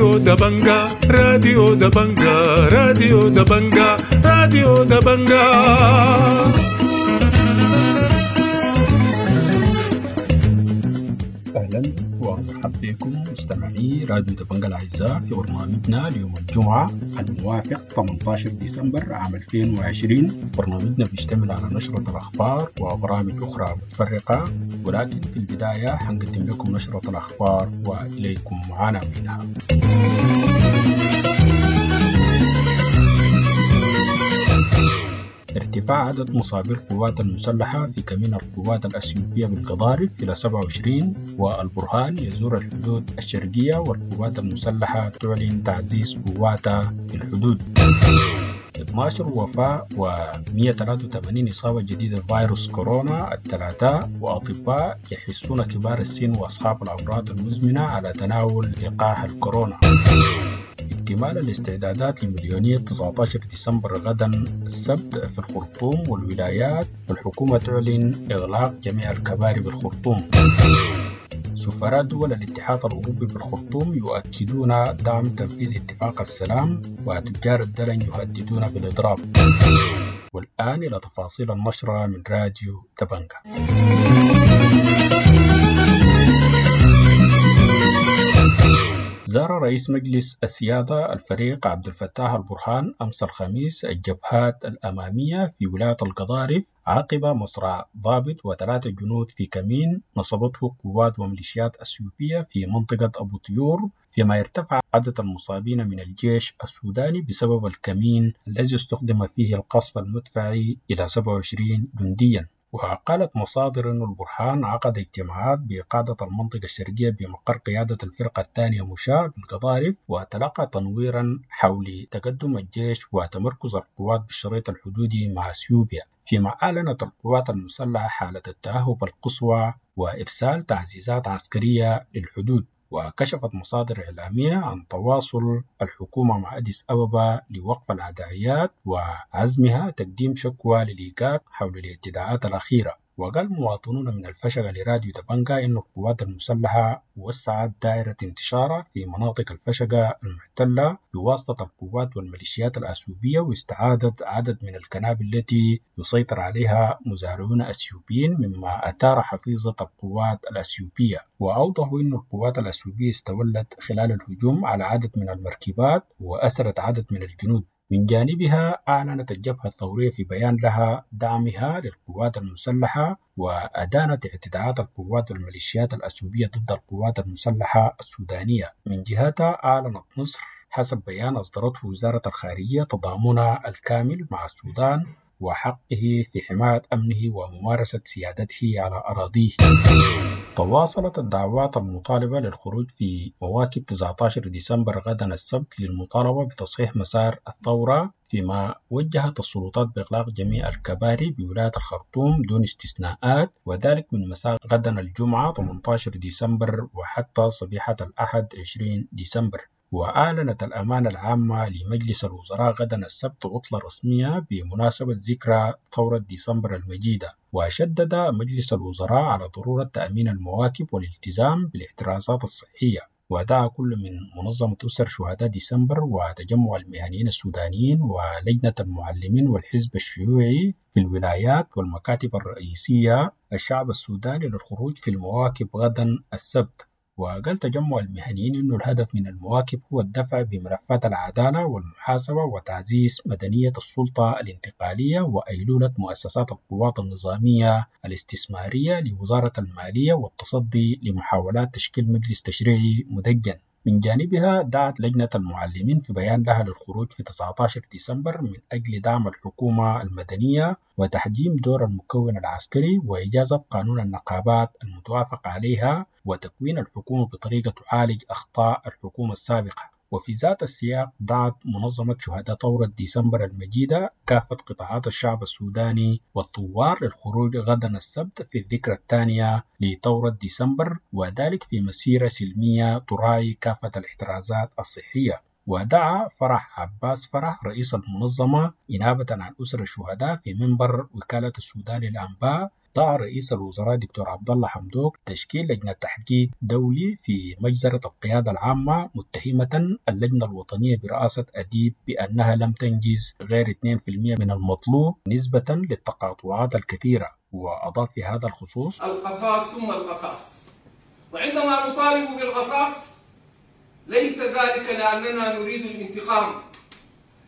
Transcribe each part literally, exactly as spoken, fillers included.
راديو دبنجا، راديو دبنجا، راديو دبنجا، راديو دبنجا. أهلا ومرحبا بكم مستمعي راديو دبنجا الأعزاء في برنامجنا اليوم الجمعة الموافق ثمانية عشر ديسمبر عام ألفين وعشرين. برنامجنا بيشتمل على نشرة الأخبار وبرامج أخرى متفرقة، ولكن في البداية حنقدم لكم نشرة الأخبار وإليكم عناوينها. ارتفاع عدد مصابي القوات المسلحة في كمين القوات الأثيوبية بالقضارف إلى سبعة وعشرين، والبرهان يزور الحدود الشرقية والقوات المسلحة تعلن تعزيز قواتها في الحدود. اثنا عشر وفاة و مئة وثلاثة وثمانين إصابة جديدة بفيروس كورونا الثلاثاء، وأطباء يحثون كبار السن وأصحاب الأمراض المزمنة على تناول لقاح الكورونا. اكتمال الاستعدادات لمليونية تسعة عشر ديسمبر غدا السبت في الخرطوم والولايات، والحكومة تعلن إغلاق جميع الكباري بالخرطوم. سفراء دول الاتحاد الأوروبي بالخرطوم يؤكدون دعم تنفيذ اتفاق السلام، وتجار الدلن يهددون بالإضراب. والآن إلى تفاصيل النشرة من راديو دبنجا. زار رئيس مجلس السيادة الفريق عبد الفتاح البرهان أمس الخميس الجبهات الأمامية في ولاية القضارف عقب مصرع ضابط وثلاثة جنود في كمين نصبته قوات وميليشيات أثيوبية في منطقة أبو طيور، فيما ارتفع عدد المصابين من الجيش السوداني بسبب الكمين الذي استخدم فيه القصف المدفعي إلى سبعة وعشرين جنديا. وقالت مصادر أن البرهان عقد اجتماعات بقادة المنطقة الشرقية بمقر قيادة الفرقة الثانية مشاة بالقضارف، وتلقى تنويرا حول تقدم الجيش وتمركز القوات بالشريط الحدودي مع اثيوبيا، فيما أعلنت القوات المسلحة حالة التأهب القصوى وإرسال تعزيزات عسكرية للحدود. وكشفت مصادر إعلامية عن تواصل الحكومة مع أديس أبابا لوقف العدائيات وعزمها تقديم شكوى للإيجاد حول الاعتداءات الأخيرة. وقال مواطنون من الفشقة لراديو دبنجا إن القوات المسلحة وسعت دائرة انتشارها في مناطق الفشقة المحتلة بواسطة القوات والميليشيات الأثيوبية، واستعادت عدد من الكنابل التي يسيطر عليها مزارعون أثيوبيين، مما أثار حفيظة القوات الأثيوبية. وأوضحوا أن القوات الأثيوبية استولت خلال الهجوم على عدد من المركبات وأسرت عدد من الجنود. من جانبها أعلنت الجبهة الثورية في بيان لها دعمها للقوات المسلحة، وأدانت اعتداءات القوات والميليشيات الأثيوبية ضد القوات المسلحة السودانية. من جهتها أعلنت مصر حسب بيان أصدرته وزارة الخارجية تضامنها الكامل مع السودان وحقه في حماية أمنه وممارسة سيادته على أراضيه. تواصلت الدعوات المطالبة للخروج في مواكب تسعة عشر ديسمبر غدا السبت للمطالبة بتصحيح مسار الثورة، فيما وجهت السلطات بإغلاق جميع الكباري بولاية الخرطوم دون استثناءات، وذلك من مساء غدا الجمعة ثمانية عشر ديسمبر وحتى صبيحة الأحد عشرين ديسمبر. وأعلنت الأمانة العامة لمجلس الوزراء غدا السبت عطلة رسمية بمناسبة ذكرى ثورة ديسمبر المجيدة. وشدد مجلس الوزراء على ضرورة تأمين المواكب والالتزام بالاحترازات الصحية. ودعا كل من منظمة أسر شهداء ديسمبر وتجمع المهنيين السودانيين ولجنة المعلمين والحزب الشيوعي في الولايات والمكاتب الرئيسية الشعب السوداني للخروج في المواكب غدا السبت. وقال تجمع المهنيين أن الهدف من المواكب هو الدفع بملفات العدالة والمحاسبة وتعزيز مدنية السلطة الانتقالية وأيلولة مؤسسات القوات النظامية الاستثمارية لوزارة المالية والتصدي لمحاولات تشكيل مجلس تشريعي مدجن. من جانبها دعت لجنة المعلمين في بيان لها للخروج في تسعة عشر ديسمبر من أجل دعم الحكومة المدنية وتحجيم دور المكون العسكري وإجازة قانون النقابات المتوافق عليها وتكوين الحكومة بطريقة تعالج أخطاء الحكومة السابقة. وفي ذات السياق دعت منظمة شهداء ثورة ديسمبر المجيدة كافة قطاعات الشعب السوداني والثوار للخروج غدا السبت في الذكرى الثانية لثورة ديسمبر، وذلك في مسيرة سلمية تراعي كافة الاحترازات الصحية. ودعا فرح عباس فرح رئيس المنظمة إنابة عن أسر الشهداء في منبر وكالة السودان للأنباء دعا رئيس الوزراء دكتور عبد الله حمدوك تشكيل لجنة تحقيق دولي في مجزرة القيادة العامة، متهمة اللجنة الوطنية برئاسة أديب بأنها لم تنجز غير اثنين في المئة من المطلوب نسبة للتقاطعات الكثيرة. وأضاف في هذا الخصوص: القصاص ثم القصاص، وعندما نطالب بالقصاص ليس ذلك لأننا نريد الانتقام،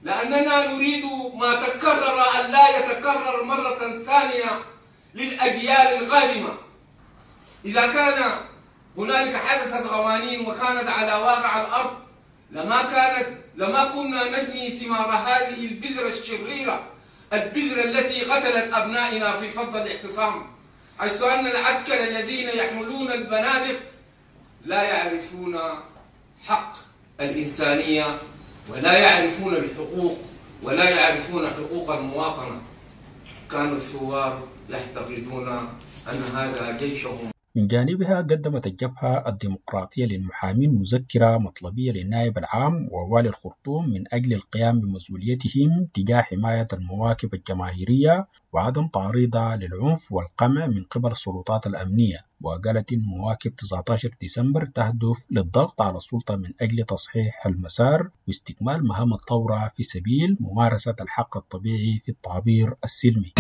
لأننا نريد ما تكرر أن لا يتكرر مرة ثانية للأجيال القادمة. إذا كان هنالك حدثت قوانين وكانت على واقع الأرض لما كانت لما كنا نجني ثمار هذه البذرة الشريرة، البذرة التي قتلت أبنائنا في فض الاعتصام، حيث أن العسكر الذين يحملون البنادق لا يعرفون حق الإنسانية ولا يعرفون الحقوق ولا يعرفون حقوق المواطنة. كانوا الثوار يعتقدون أن هذا جيشهم. من جانبها قدمت الجبهة الديمقراطية للمحامين مذكرة مطلبية للنائب العام ووالي الخرطوم من أجل القيام بمسؤوليتهم تجاه حماية المواكب الجماهيرية وعدم تعريضها للعنف والقمع من قبل السلطات الأمنية. وقالت إن مواكب تسعة عشر ديسمبر تهدف للضغط على السلطة من أجل تصحيح المسار واستكمال مهام الثورة في سبيل ممارسة الحق الطبيعي في التعبير السلمي.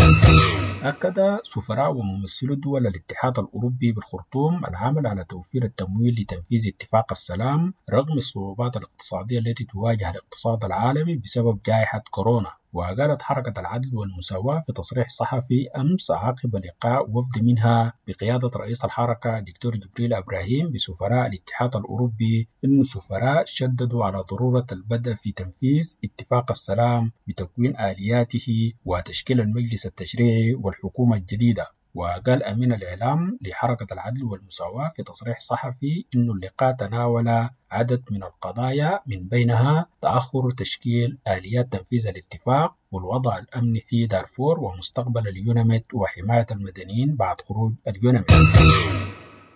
أكد سفراء وممثلو دول الاتحاد الأوروبي بالخرطوم العمل على توفير التمويل لتنفيذ اتفاق السلام رغم الصعوبات الاقتصادية التي تواجه الاقتصاد العالمي بسبب جائحة كورونا. وقالت حركة العدل والمساواة في تصريح صحفي أمس عقب لقاء وفد منها بقيادة رئيس الحركة دكتور جبريل إبراهيم بسفراء الاتحاد الأوروبي إن السفراء شددوا على ضرورة البدء في تنفيذ اتفاق السلام بتكوين آلياته وتشكيل المجلس التشريعي والحكومة الجديدة. وقال أمين الإعلام لحركة العدل والمساواة في تصريح صحفي إن اللقاء تناول عدد من القضايا من بينها تأخر تشكيل آليات تنفيذ الاتفاق والوضع الأمني في دارفور ومستقبل اليوناميد وحماية المدنيين بعد خروج اليوناميد.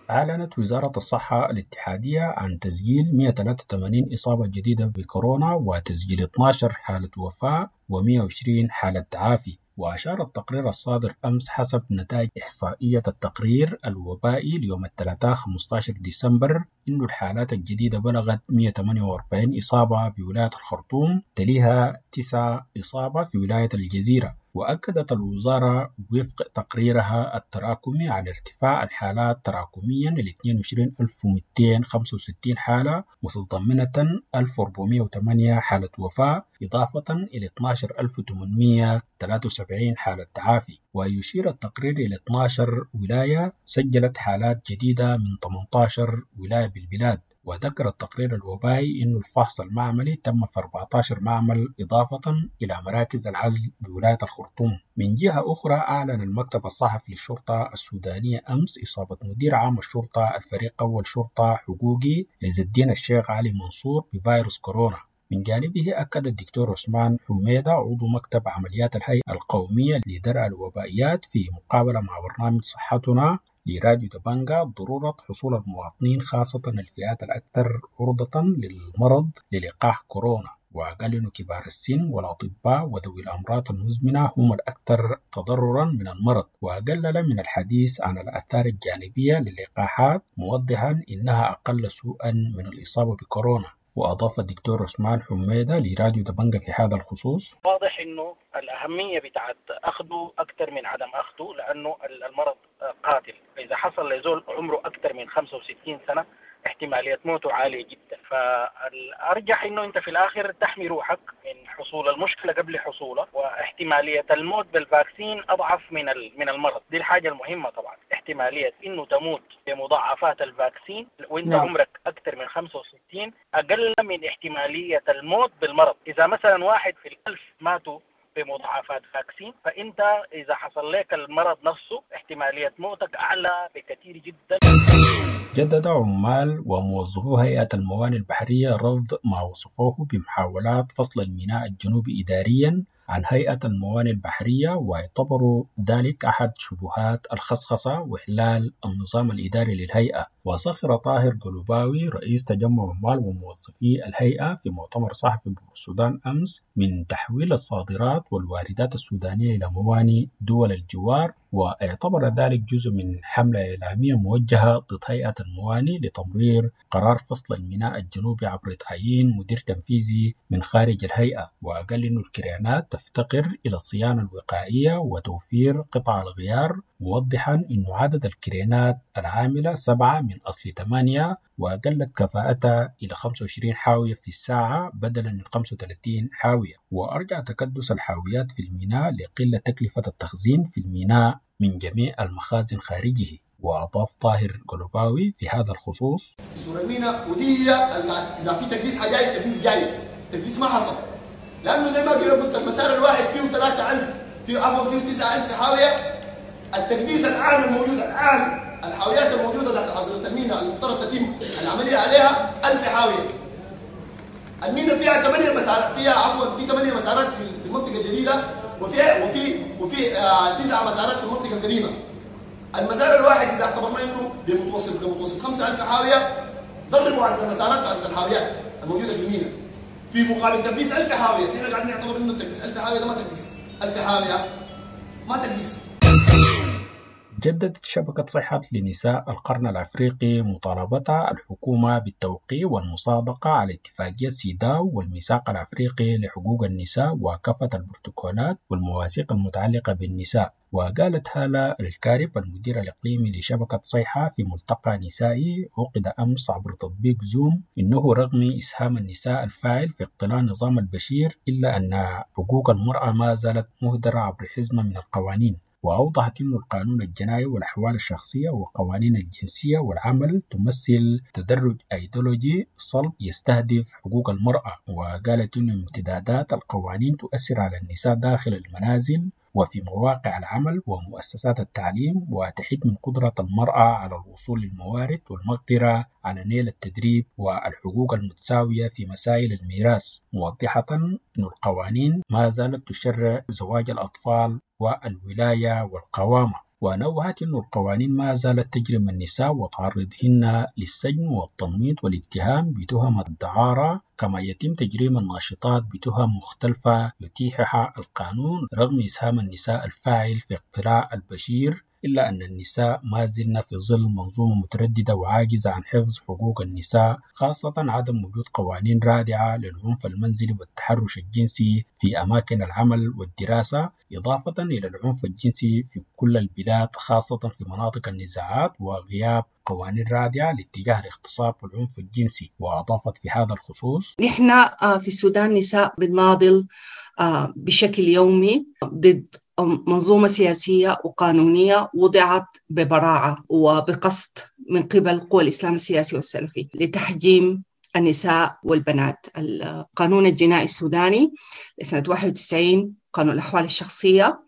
أعلنت وزارة الصحة الاتحادية عن تسجيل مئة وثلاثة وثمانين إصابة جديدة بكورونا وتسجيل اثني عشر حالة وفاة ومئة وعشرين حالة تعافي. وأشار التقرير الصادر أمس حسب نتائج إحصائية التقرير الوبائي ليوم الثلاثاء خمسة عشر ديسمبر إن الحالات الجديدة بلغت مئة وثمانية وأربعين إصابة بولاية الخرطوم، تليها تسعة إصابة في ولاية الجزيرة. وأكدت الوزارة وفق تقريرها التراكمي على ارتفاع الحالات تراكميا ل اثنين وعشرين ألف ومئتين وخمسة وستين حالة متضمنة ألف وأربعمئة وثمانية حالة وفاة، إضافة إلى اثني عشر ألف وثمانمئة وثلاثة وسبعين حالة تعافي. ويشير التقرير إلى اثني عشر ولاية سجلت حالات جديدة من ثمانية عشر ولاية بالبلاد. وذكر التقرير الوبائي أن الفحص المعملي تم في أربعة عشر معمل إضافة إلى مراكز العزل بولاية الخرطوم. من جهة أخرى أعلن المكتب الصحفي للشرطة السودانية أمس إصابة مدير عام الشرطة الفريق أول شرطة حقوقي عز الدين الشيخ علي منصور بفيروس كورونا. من جانبه أكد الدكتور عثمان حميدة عضو مكتب عمليات الهيئة القومية لدرء الوبائيات في مقابلة مع برنامج صحتنا لراديو دبنجا ضرورة حصول المواطنين خاصة الفئات الأكثر عرضة للمرض للقاح كورونا. وقال إنه كبار السن والأطباء وذوي الأمراض المزمنة هم الأكثر تضررا من المرض. وقلل من الحديث عن الآثار الجانبية للقاحات موضحا إنها أقل سوءا من الإصابة بكورونا. وأضاف الدكتور عثمان حميدة لراديو دبنجا في هذا الخصوص: واضح إنه الأهمية بتاعت أخذه أكثر من عدم أخذه، لأنه المرض قاتل. إذا حصل لزول عمره أكثر من خمسة وستين سنة احتمالية موته عالية جدا، فالأرجح إنه أنت في الآخر تحمي روحك من حصول المشكلة قبل حصولها، واحتمالية الموت بالفاكسين أضعف من من المرض. دي الحاجة المهمة طبعا، احتمالية إنه تموت بمضاعفات ال vaccine وإنت نعم. عمرك أكثر من خمسة وستين أقل من احتمالية الموت بالمرض. إذا مثلا واحد في الألف ماتوا بمضاعفات vaccine، فأنت إذا حصل لك المرض نفسه احتمالية موتك أعلى بكثير جدا. جدد عمال وموظفو هيئة الموانئ البحرية رفض ما وصفوه بمحاولات فصل الميناء الجنوبي إداريا عن هيئة الموانئ البحرية، واعتبروا ذلك أحد شبهات الخصخصة وإحلال النظام الإداري للهيئة. وسخر طاهر قلوباوي رئيس تجمع عمال وموظفي الهيئة في مؤتمر صحفي بالسودان أمس من تحويل الصادرات والواردات السودانية إلى موانئ دول الجوار واعتبر ذلك جزء من حملة إعلامية موجهة ضد هيئة الموانئ لتمرير قرار فصل الميناء الجنوبي عبر تعيين مدير تنفيذي من خارج الهيئة. وقال إنه الكرينات تفتقر إلى الصيانة الوقائية وتوفير قطع الغيار، موضحا أنه عدد الكرينات العاملة سبعة من أصل ثمانية وقلت كفاءتها إلى خمسة وعشرين حاوية في الساعة بدلا من خمسة وثلاثين حاوية. وأرجع تكدس الحاويات في الميناء لقلة تكلفة التخزين في الميناء من جميع المخازن خارجه. وأضاف طاهر قلوباوي في هذا الخصوص: في سور الميناء ودي إذا في تكديس حجاي تكديس جاي، تكديس ما حصل، لأنه زي ما قلت المسار الواحد فيه ثلاثة ألف، فيه عفوا فيه تسعة ألف حاوية. التكديس الآن الموجود الآن الحاويات الموجودة داخل حظيرة الميناء المفترض تتم العملية عليها ألف حاوية. الميناء فيها ثمانية مسارات، فيها عفوا في ثمانية مسارات في المنطقة الجديدة، وفيها وفي وفي آه تسعة مسارات في المنطقة القديمة. المسار الواحد إذا اعتبرنا إنه بمتوسط بمتوسط خمسة ألف حاوية، ضربوا عدد المسارات في عدد الحاويات الموجودة في الميناء في مقابل تكديس ألف حاوية. نحن قاعدين نعتبر إنه تكديس ألف حاوية ده ما تكديس، ألف حاوية ما تكديس. جددت شبكة صحة لنساء القرن الأفريقي مطالبتها الحكومة بالتوقيع والمصادقة على اتفاقية سيداو والميثاق الأفريقي لحقوق النساء وكافة البروتوكولات والمواثيق المتعلقة بالنساء. وقالت هالة الكارب المدير الإقليمي لشبكة صيحة في ملتقى نسائي عقد أمس عبر تطبيق زوم إنه رغم إسهام النساء الفاعل في اقتلاع نظام البشير إلا أن حقوق المرأة ما زالت مهدرة عبر حزمة من القوانين. وأوضحت أن القانون الجنائي والأحوال الشخصية وقوانين الجنسية والعمل تمثل تدرج أيديولوجي صلب يستهدف حقوق المرأة. وقالت أن امتدادات القوانين تؤثر على النساء داخل المنازل وفي مواقع العمل ومؤسسات التعليم، وتحد من قدرة المرأة على الوصول للموارد والمقدرة على نيل التدريب والحقوق المتساوية في مسائل الميراث، موضحة أن القوانين ما زالت تشرع زواج الأطفال والولاية والقوامة. ونوهت أن القوانين ما زالت تجرم النساء وتعرضهن للسجن والتنميط والاتهام بتهم الدعارة، كما يتم تجريم الناشطات بتهم مختلفة يتيحها القانون رغم إسهام النساء الفاعل في اقتلاع البشير، إلا أن النساء ما زلن في ظل منظومة مترددة وعاجزة عن حفظ حقوق النساء، خاصة عدم وجود قوانين رادعة للعنف المنزلي والتحرش الجنسي في أماكن العمل والدراسة، إضافة إلى العنف الجنسي في كل البلاد خاصة في مناطق النزاعات وغياب قوانين رادعة لاتجاه الاغتصاب والعنف الجنسي. وأضافت في هذا الخصوص: نحن في السودان نساء بنناضل بشكل يومي ضد منظومة سياسية وقانونية وضعت ببراعة وبقصد من قبل قوى الإسلام السياسي والسلفي لتحجيم النساء والبنات. القانون الجنائي السوداني لسنة واحد وتسعين، قانون الأحوال الشخصية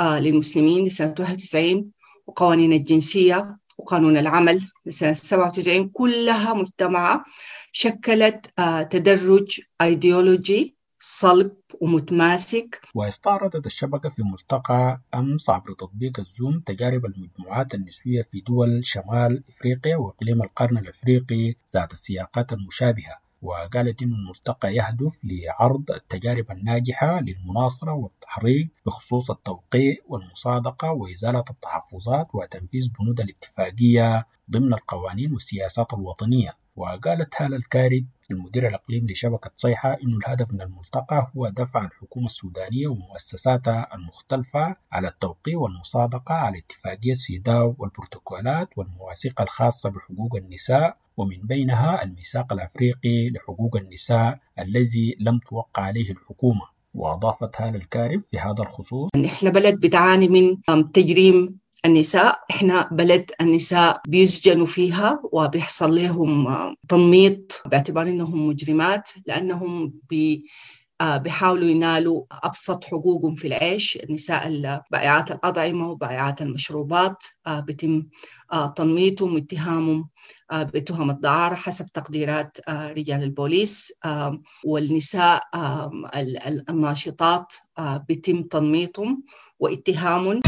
للمسلمين لسنة واحد وتسعين، وقوانين الجنسية وقانون العمل لسنة سبعة وتسعين، كلها مجتمعة شكلت تدرج أيديولوجي صلب ومتماسك. واستعرضت الشبكة في ملتقى أمس عبر تطبيق الزوم تجارب المجموعات النسوية في دول شمال إفريقيا وإقليم القرن الأفريقي ذات السياقات المشابهة. وقالت إن الملتقى يهدف لعرض التجارب الناجحة للمناصرة والتحريك بخصوص التوقيع والمصادقة وإزالة التحفظات وتنفيذ بنود الاتفاقية ضمن القوانين والسياسات الوطنية. وقالت هالة الكارب المدير الإقليمي لشبكة صيحة إنه الهدف من الملتقى هو دفع الحكومة السودانية ومؤسساتها المختلفة على التوقيع والمصادقة على اتفاقية سيداو والبروتوكولات والمواثيق الخاصة بحقوق النساء، ومن بينها الميثاق الأفريقي لحقوق النساء الذي لم توقع عليه الحكومة. وأضافت هالة الكارب في هذا الخصوص: نحن بلد بتعاني من تجريم النساء، إحنا بلد النساء بيسجنوا فيها وبيحصل لهم تنميط باعتبار إنهم مجرمات، لأنهم بي بيحاولوا ينالوا أبسط حقوقهم في العيش. النساء بائعات الأطعمة وبائعات المشروبات بيتم تنميطهم واتهامهم بتهم الدعارة حسب تقديرات رجال البوليس، والنساء الناشطات بيتم تنميطهم واتهامهم.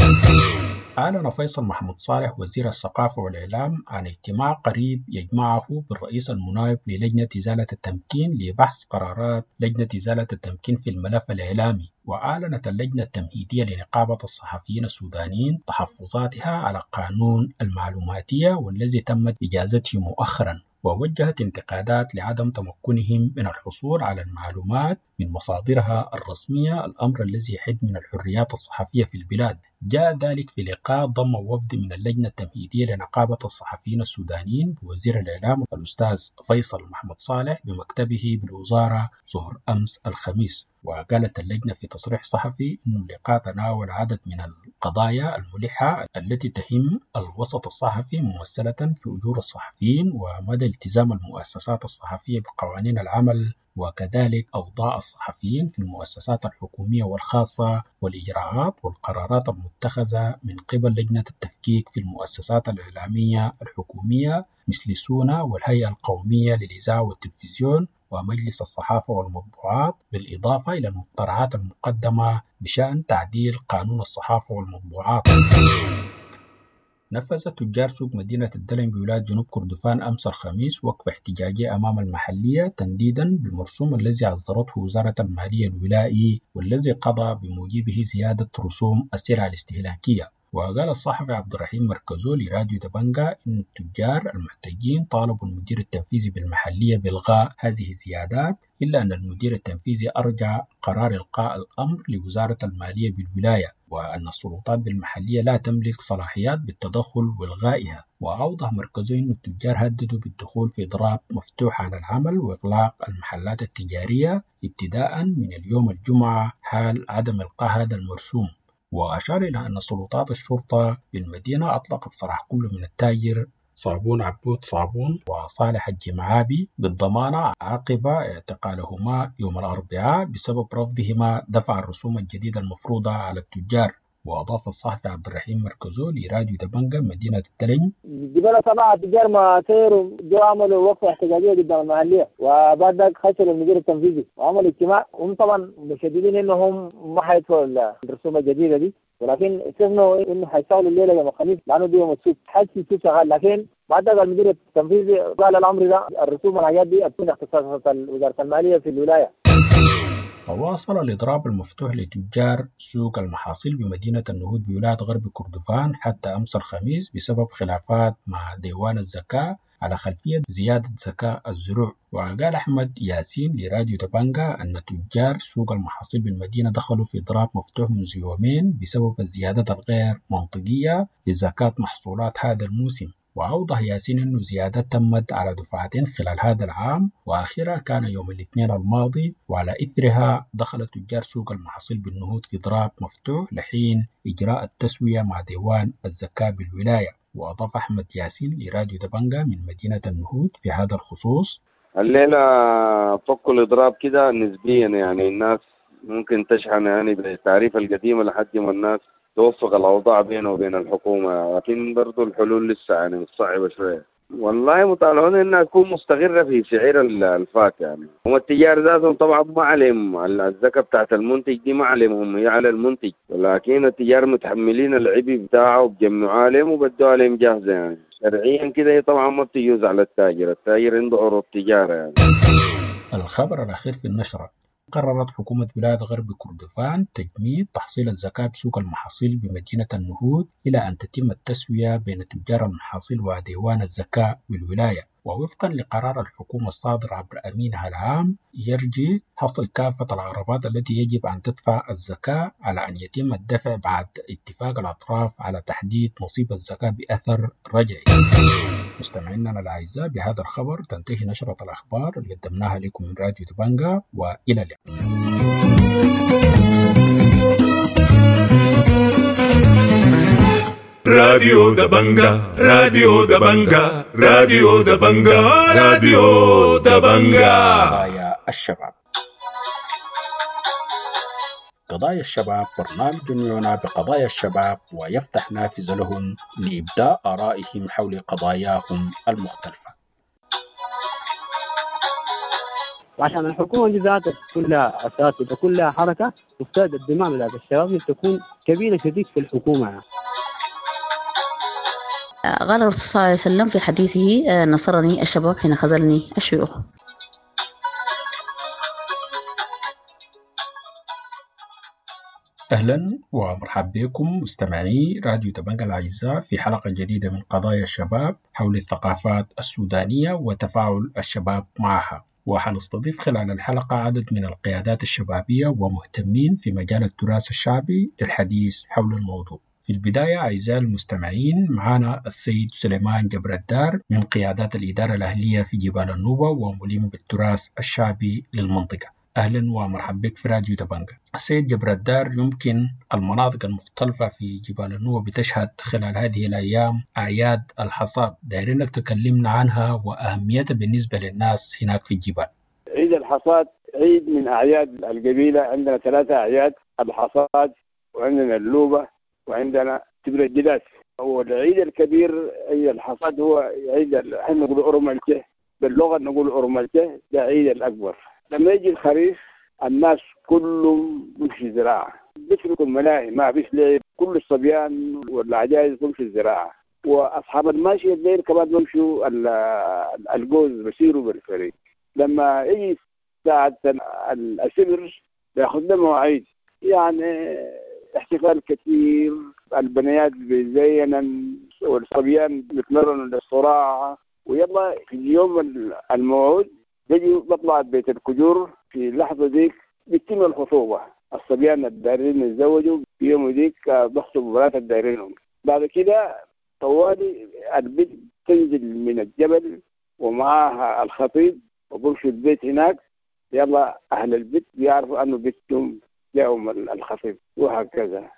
أعلن فيصل محمود صالح وزير الثقافة والإعلام عن اجتماع قريب يجمعه بالرئيس المناوب للجنة إزالة التمكين لبحث قرارات لجنة إزالة التمكين في الملف الإعلامي. وأعلنت اللجنة التمهيدية لنقابة الصحفيين السودانيين تحفظاتها على قانون المعلوماتية والذي تمت إجازته مؤخرا، ووجهت انتقادات لعدم تمكنهم من الحصول على المعلومات من مصادرها الرسمية، الأمر الذي يحد من الحريات الصحفية في البلاد. جاء ذلك في لقاء ضم وفد من اللجنة التمهيدية لنقابة الصحفيين السودانيين بوزير الإعلام الأستاذ فيصل محمد صالح بمكتبه بالوزارة ظهر أمس الخميس. وقالت اللجنة في تصريح صحفي أن اللقاء تناول عدد من القضايا الملحة التي تهم الوسط الصحفي، ممثلة في أجور الصحفيين ومدى التزام المؤسسات الصحفية بقوانين العمل، وكذلك أوضاع الصحفيين في المؤسسات الحكومية والخاصة، والإجراءات والقرارات المتخذة من قبل لجنة التفكيك في المؤسسات الإعلامية الحكومية مثل سونا والهيئة القومية للإذاعة والتلفزيون ومجلس الصحافة والمطبوعات، بالإضافة إلى المقترحات المقدمة بشأن تعديل قانون الصحافة والمطبوعات. نفذ تجار سوق مدينة الدلنج بولاية جنوب كردفان أمس الخميس وقفة احتجاجية أمام المحلية تنديدا بالمرسوم الذي أصدرته وزارة المالية الولائي والذي قضى بموجبه زيادة رسوم السلع الاستهلاكية. وقال الصحفي عبد الرحيم مركزو لراديو دبنجا إن التجار المحتجين طالبوا المدير التنفيذي بالمحلية بإلغاء هذه الزيادات، إلا أن المدير التنفيذي أرجع قرار إلقاء الأمر لوزارة المالية بالولاية، وأن السلطات بالمحلية لا تملك صلاحيات بالتدخل وإلغائها. وأوضح مركزو أن التجار هددوا بالدخول في إضراب مفتوح عن العمل وإغلاق المحلات التجارية ابتداء من اليوم الجمعة حال عدم إلقاء هذا المرسوم. وأشار إلى أن سلطات الشرطة بالمدينة أطلقت سراح كل من التاجر صابون عبود صابون وصالح الجمعابي بالضمانة عقب اعتقالهما يوم الأربعاء بسبب رفضهما دفع الرسوم الجديدة المفروضة على التجار. وأضاف الصحفي عبد الرحيم مركزو لراديو دبنجا مدينة التلنج: جبال سبعة تجار ما سيروا جو عملوا وقفة احتجاجية قدام المحلية، وبعد ذاك خشوا المدير التنفيذي وعملوا اجتماع. هم طبعا مشددين انهم ما حيدفعوا الرسوم الجديدة دي، ولكن استثنوا انه حيشتغلوا الليلة يوم الخميس لانه دي يوم السوق، حس السوق شغال. لكن بعد ذاك المدير التنفيذي قال الامر ده الرسوم والحاجات دي تكون اختصاصات وزارة المالية في الولاية. تواصل الإضراب المفتوح لتجار سوق المحاصيل بمدينة النهود بولاية غرب كردفان حتى أمس الخميس بسبب خلافات مع ديوان الزكاة على خلفية زيادة زكاة الزروع. وقال أحمد ياسين لراديو دبنجا أن تجار سوق المحاصيل بالمدينة دخلوا في إضراب مفتوح منذ يومين بسبب الزيادات الغير منطقية لزكاة محصولات هذا الموسم. وأوضح ياسين أن زيادات تمت على دفعتين خلال هذا العام، وآخرها كان يوم الاثنين الماضي، وعلى إثرها دخل تجار سوق المحاصيل بالنهود في إضراب مفتوح لحين إجراء التسوية مع ديوان الزكاة بالولاية. وأضاف أحمد ياسين لراديو دبنجا من مدينة النهود في هذا الخصوص: الليلة فكوا الإضراب كده نسبيا، يعني الناس ممكن تشحن يعني بالتعريف القديمة لحد ما الناس توفق الأوضاع بينه وبين الحكومة، لكن برضو الحلول لسه يعني صعبة شوية. والله مطالعون إنها تكون مستقرة في سعر الفات، يعني هم التجار ذاتهم طبعا ما عليهم الزكاة بتاعت المنتج دي، ما عليهم، هم هي على المنتج، ولكن التجار متحملين العبء بتاعه وبجمعوا عليهم وبدوا عليهم جاهزة يعني شرعيا كده. هي طبعا ما بتجوز على التاجر، التاجر عنده عروض تجارة يعني. الخبر الأخير في النشرة: قررت حكومة ولاية غرب كردفان تجميد تحصيل الزكاة بسوق المحاصيل بمدينة النهود إلى أن تتم التسوية بين تجار المحاصيل وديوان الزكاة بالولاية. ووفقا لقرار الحكومة الصادر عبر أمينها العام، يرجي حصر كافة العربات التي يجب أن تدفع الزكاة على أن يتم الدفع بعد اتفاق الأطراف على تحديد نصيب الزكاة بأثر رجعي. مستمعينا الأعزاء، بهذا الخبر تنتهي نشرة الأخبار اللي قدمناها لكم من راديو دبنجا، وإلى اللقاء. راديو دبنجا، راديو دبنجا، راديو دبنجا، راديو دبنجا. قضايا الشباب. قضايا الشباب برنامج يعنى بقضايا الشباب ويفتح نافذة لهم لإبداء آرائهم حول قضاياهم المختلفة. وعشان الحكومة دي ذاتها كلها أساتذة كلها حركة، مفترض الدماء بتاعت الشباب تكون كبيرة شديد في الحكومة يعني. قال الرسول صلى الله عليه وسلم في حديثه: نصرني الشباب حين خذلني الشيوخ. أهلا ومرحبا بكم مستمعي راديو دبنجا الأعزاء في حلقة جديدة من قضايا الشباب حول الثقافات السودانية وتفاعل الشباب معها. وحنستضيف خلال الحلقة عدد من القيادات الشبابية ومهتمين في مجال التراث الشعبي للحديث حول الموضوع. في البداية أعزائي المستمعين معنا السيد سليمان جبر الدار من قيادات الإدارة الأهلية في جبال النوبة وملم بالتراث الشعبي للمنطقة. أهلا ومرحبا بك في راديو دبنجا. السيد جبر الدار، يمكن المناطق المختلفة في جبال النوبة بتشهد خلال هذه الأيام أعياد الحصاد، دايرينك تكلمنا عنها وأهميتها بالنسبة للناس هناك في الجبال. عيد الحصاد عيد من أعياد القبيلة. عندنا ثلاثة أعياد: الحصاد، وعندنا اللوبة، وعندنا تبر الجداس. والعيد الكبير عيد الحصاد هو عيد، احنا نقول أورمالته باللغة، نقول أورمالته، ده عيد الأكبر. لما يجي الخريف الناس كلهم بيمشي زراعة، بيتركوا الملاهي، ما فيش لعب، كل الصبيان والعجائز بيمشوا الزراعة، وأصحاب الماشية الليل كمان بيمشوا الجوز، بيسيروا بالفريق. لما يجي ساعة السبر بياخذ لهم مواعيد، يعني احتفال كثير، البنيات بيزينن والصبيان بيتمرنوا للصراعة. ويلا في اليوم الموعود بيجي بطلع بيت الكجور. في اللحظة ديك بيتم الخطوبة، الصبيان الدارين يتزوجوا في يوم ديك بخطبوا بنات الدارينهم. بعد كده طوالي البنت تنزل من الجبل ومعاها الخطيب وبمشوا البيت هناك. يلا أهل البيت بيعرفوا أنه بيتهم جاهم الخطيب، وهكذا.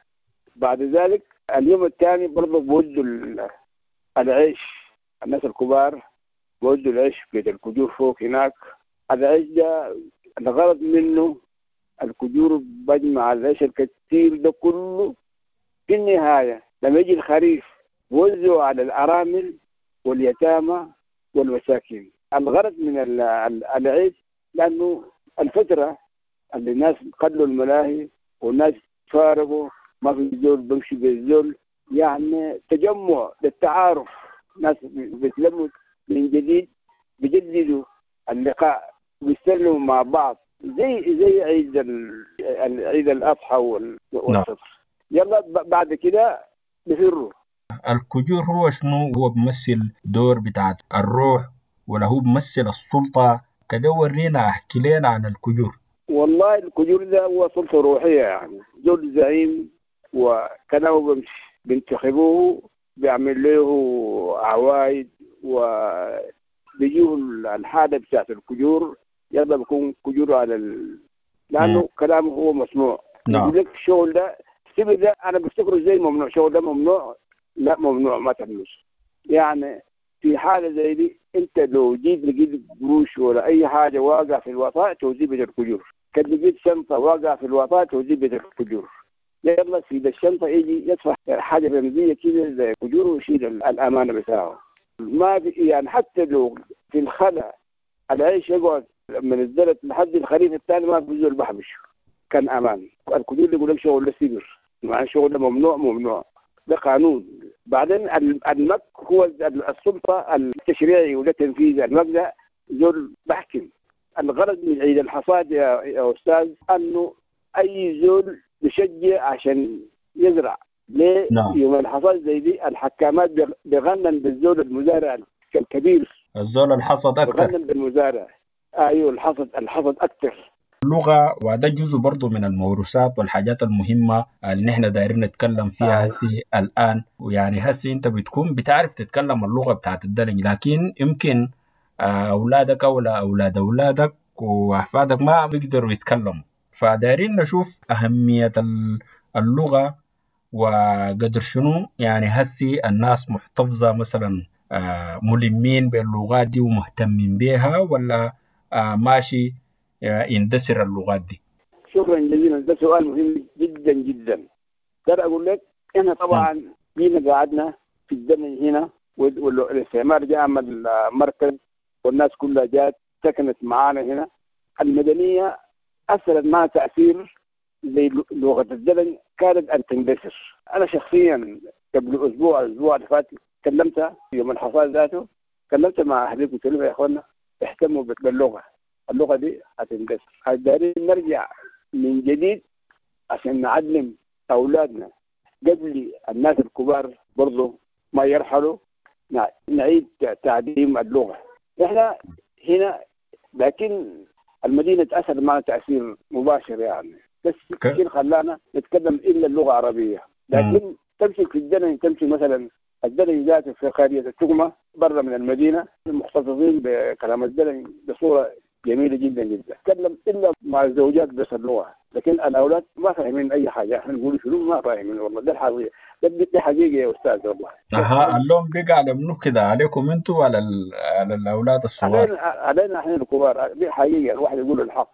بعد ذلك اليوم الثاني برضه بودوا العيش، الناس الكبار بودوا العيش في بيت الكجور فوق هناك. العيش ده الغرض منه الكجور بجمع العيش الكثير ده كله. في النهاية لما يجي الخريف بوزعوا على الأرامل واليتامى والمساكين. الغرض من العيش لأنه الفترة اللي الناس قلوا الملاهي والناس فارقوا، ما في زول بمشي بالزول، يعني تجمع للتعارف، ناس بيتلموا من جديد، بيجددوا اللقاء، بيسلموا مع بعض، زي زي عيد عيد الاضحى والفطر. يلا بعد كده بيفروا. الكجور هو شنو؟ هو بيمثل دور بتاع الروح ولا هو بيمثل السلطة؟ كده ورينا، احكي لنا عن الكجور. والله الكجور ده هو سلطة روحية، يعني زول زعيم وكلامه بيمشي، بينتخبوه، بيعمل له عوايد وبيجيه الحالة بتاعت الكجور. يلا بيكون كجور على ال... لأنه كلامه هو مسموع. نعم. يقول لك الشغل ده السبب ده أنا بفتكره زي ممنوع، شغل ده ممنوع، لا ممنوع ما تعملوش. يعني في حالة زي دي أنت لو جيت لقيت قروش ولا أي حاجة واقع في الوطاء توزيه بيت الكجور، كان لقيت شنطة واقع في الوطاء توزيه بيت الكجور. يلا في الشنطة يجي يدفع حاجة رمزية كده زي كجور ويشيل الأمانة بتاعه. ما في يعني حتى لو في الخلا العيش يقعد من الزلط لحد الخريف الثاني ما في زول بحبشه، كان أمان. الكجور اللي يقول لك شغل ده سبر، مع شغل ده ممنوع، ممنوع، ده قانون. بعدين المك هو السلطة التشريعي ولا التنفيذي، المك ده زول بحكم. الغرض من عيد الحصاد يا, يا أستاذ أنه أي زول بشجع عشان يزرع. ليه؟ نعم. يوم الحصاد زي دي الحكامات بيغنن بالزول المزارع الكبير، الزول الحصد أكثر، بيغنن بالمزارع. أيوه الحصد، الحصد أكثر. اللغة، وده جزء برضو من الموروثات والحاجات المهمة اللي نحن دايرين نتكلم فيها هسي الآن. ويعني هسي أنت بتكون بتعرف تتكلم اللغة بتاعت الدلنج، لكن يمكن أولادك أو أولاد أولادك وأحفادك ما بيقدروا يتكلموا. فدايرين نشوف أهمية اللغة وقدر شنو يعني هسي الناس محتفظة مثلا ملمين باللغات دي ومهتمين بيها، ولا ماشي يندثر اللغات دي؟ شكرا جزيلا، ده سؤال مهم جدا جدا. ده اقول لك احنا طبعا جينا قعدنا في الزمن هنا والاستعمار جاء عمل مركز والناس كلها جات سكنت معانا هنا. المدنية اثرت معها تاثير زي لغة الزمن كانت ان تندثر. انا شخصيا قبل اسبوع الاسبوع اللي فات كلمت يوم الحصاد ذاته، كلمت مع اهلي قلت لهم يا اخوانا اهتموا باللغة، اللغة دي هتندثر، دايرين نرجع من جديد عشان نعلم اولادنا قبل الناس الكبار برضو ما يرحلوا، نعيد تعليم اللغة. احنا هنا لكن المدينة تاثر معنا تاثير مباشر يعني، بس كثير خلانا نتكلم الا اللغة العربية، لكن تمشي في الدلنج، تمشي مثلا الدلنج ذاته في قرية التقمه برا من المدينة محتفظين بكلام الدلنج بصورة جميلة جدا جدا، تكلم الا مع الزوجات بس اللغة، لكن الاولاد ما فاهمين اي حاجة، احنا نقول شنو ما فاهمين والله. ده الحقيقة، ده حقيقة يا استاذ والله. اها اللوم بقى على منو كده، عليكم انتوا ولا على الاولاد الصغار؟ علينا علينا احنا الكبار، دي حقيقة الواحد يقول الحق.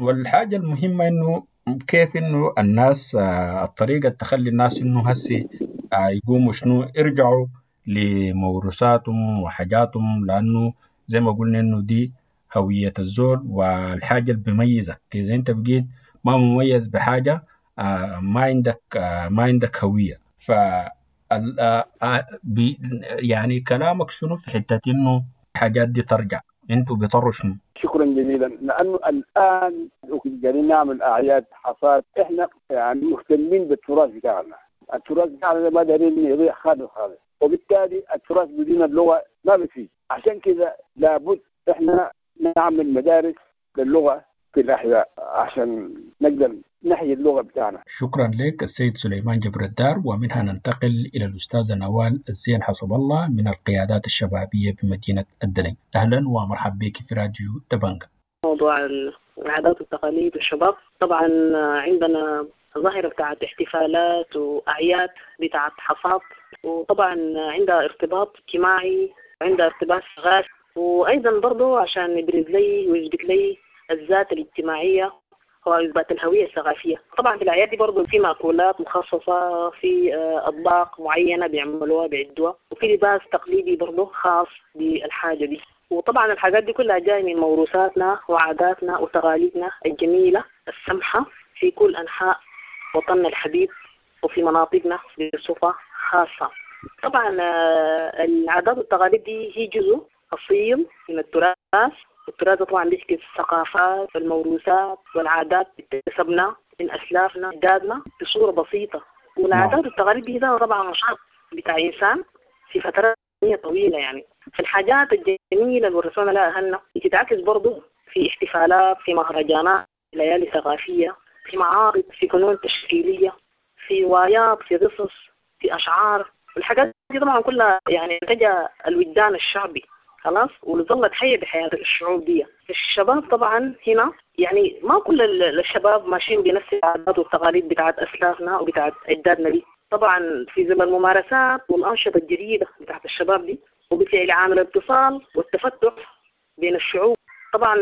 والحاجة المهمة انه كيف انه الناس الطريقة تخلي الناس انه هسي يقوموا شنو يرجعوا لموروثاتهم وحاجاتهم، لانه زي ما قلنا انه دي هوية الزول والحاجة اللي بيميزك. إذا أنت بقيت ما مميز بحاجة ما عندك ما عندك هوية. ف يعني كلامك شنو في حتة إنه الحاجات دي ترجع، أنتوا بيطروا شنو؟ شكرا جزيلا، لأنه الآن قاعدين نعمل أعياد حصاد، إحنا يعني مهتمين بالتراث بتاعنا، التراث بتاعنا ما دارين يضيع خالص خالص، وبالتالي التراث بدون اللغة ما بيفيد. عشان كذا لابد إحنا نعمل مدارس للغة في الأحياء عشان نقدر نحيي اللغة بتاعنا. شكرا لك السيد سليمان جبر الدار. ومنها ننتقل إلى الأستاذة نوال الزين حسب الله من القيادات الشبابية بمدينة الدلنج. أهلا ومرحبا بك في راديو دبنجا. موضوع العادات والتقاليد والشباب، طبعا عندنا ظاهرة بتاعت احتفالات وأعياد بتاعت حصاد، وطبعا عندها ارتباط اجتماعي، عندها ارتباط ثقافي، وأيضا برضو عشان يبرز لي ويثبت لي الذات الاجتماعية وإثبات الهوية الثقافية. طبعا في الأعياد دي برضو في مأكولات مخصصة، في أطباق معينة بيعملوها بيعدوها، وفي لباس تقليدي برضو خاص بالحاجة دي. وطبعا الحاجات دي كلها جاية من موروثاتنا وعاداتنا وتقاليدنا الجميلة السمحة في كل أنحاء وطننا الحبيب وفي مناطقنا بصفة خاصة. طبعا العادات والتقاليد دي هي جزء أصيل من التراث، التراث طبعا بيحكي الثقافات والموروثات والعادات اللي اكتسبناها من أسلافنا أجدادنا بصورة بسيطة. والعادات والتقاليد دي طبعا نشاط بتاع إنسان في فترات طويلة يعني. فالحاجات الجميلة اللي ورثونا لها أهلنا بتتعكس برضو في احتفالات، في مهرجانات، ليالي ثقافية، في معارض، في فنون تشكيلية، في روايات، في قصص، في أشعار. والحاجات دي طبعا كلها يعني تجا الوجدان الشعبي خلاص، وظلت حية بحياة الشعوب دي. الشباب طبعا هنا يعني ما كل الشباب ماشيين بنفس العادات والتقاليد بتاعت أسلافنا وبتاعت أجدادنا دي. طبعا في زمن الممارسات والأنشطة الجديدة بتاعت الشباب دي، وبالفعل عامل الاتصال والتفتح بين الشعوب. طبعا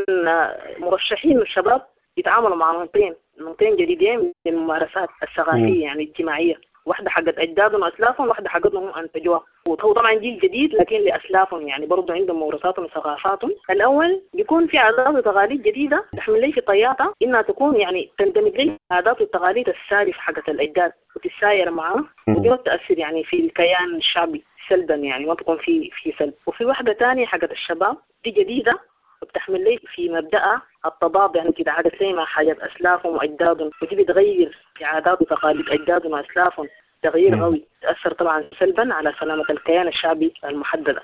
مرشحين الشباب يتعاملوا مع نمطين نمطين جديدين من الممارسات الثقافية يعني الاجتماعية، واحدة حقت أجدادهم وأسلافهم، واحدة حقتهم هم أنتجوها. وهو طبعا جيل جديد لكن لأسلافهم يعني برضو عندهم موروثاتهم وثقافاتهم. الأول بيكون في عادات وتقاليد جديدة تحمل لي في طياتها إنها تكون يعني تندمج لي العادات والتقاليد السالفة حقت الأجداد وتتساير معاه، ودي ما بتأثر يعني في الكيان الشعبي سلبا، يعني ما تكون في في سلب. وفي واحدة تانية حقت الشباب دي جديدة وبتحمل لي في مبدأها التضاد، يعني كده عادت لي مع حاجات أسلافهم وأجدادهم، ودي بتغير في عادات وتقاليد أجدادهم وأسلافهم تغيير قوي تأثر طبعا سلبا على سلامة الكيان الشعبي المحددة.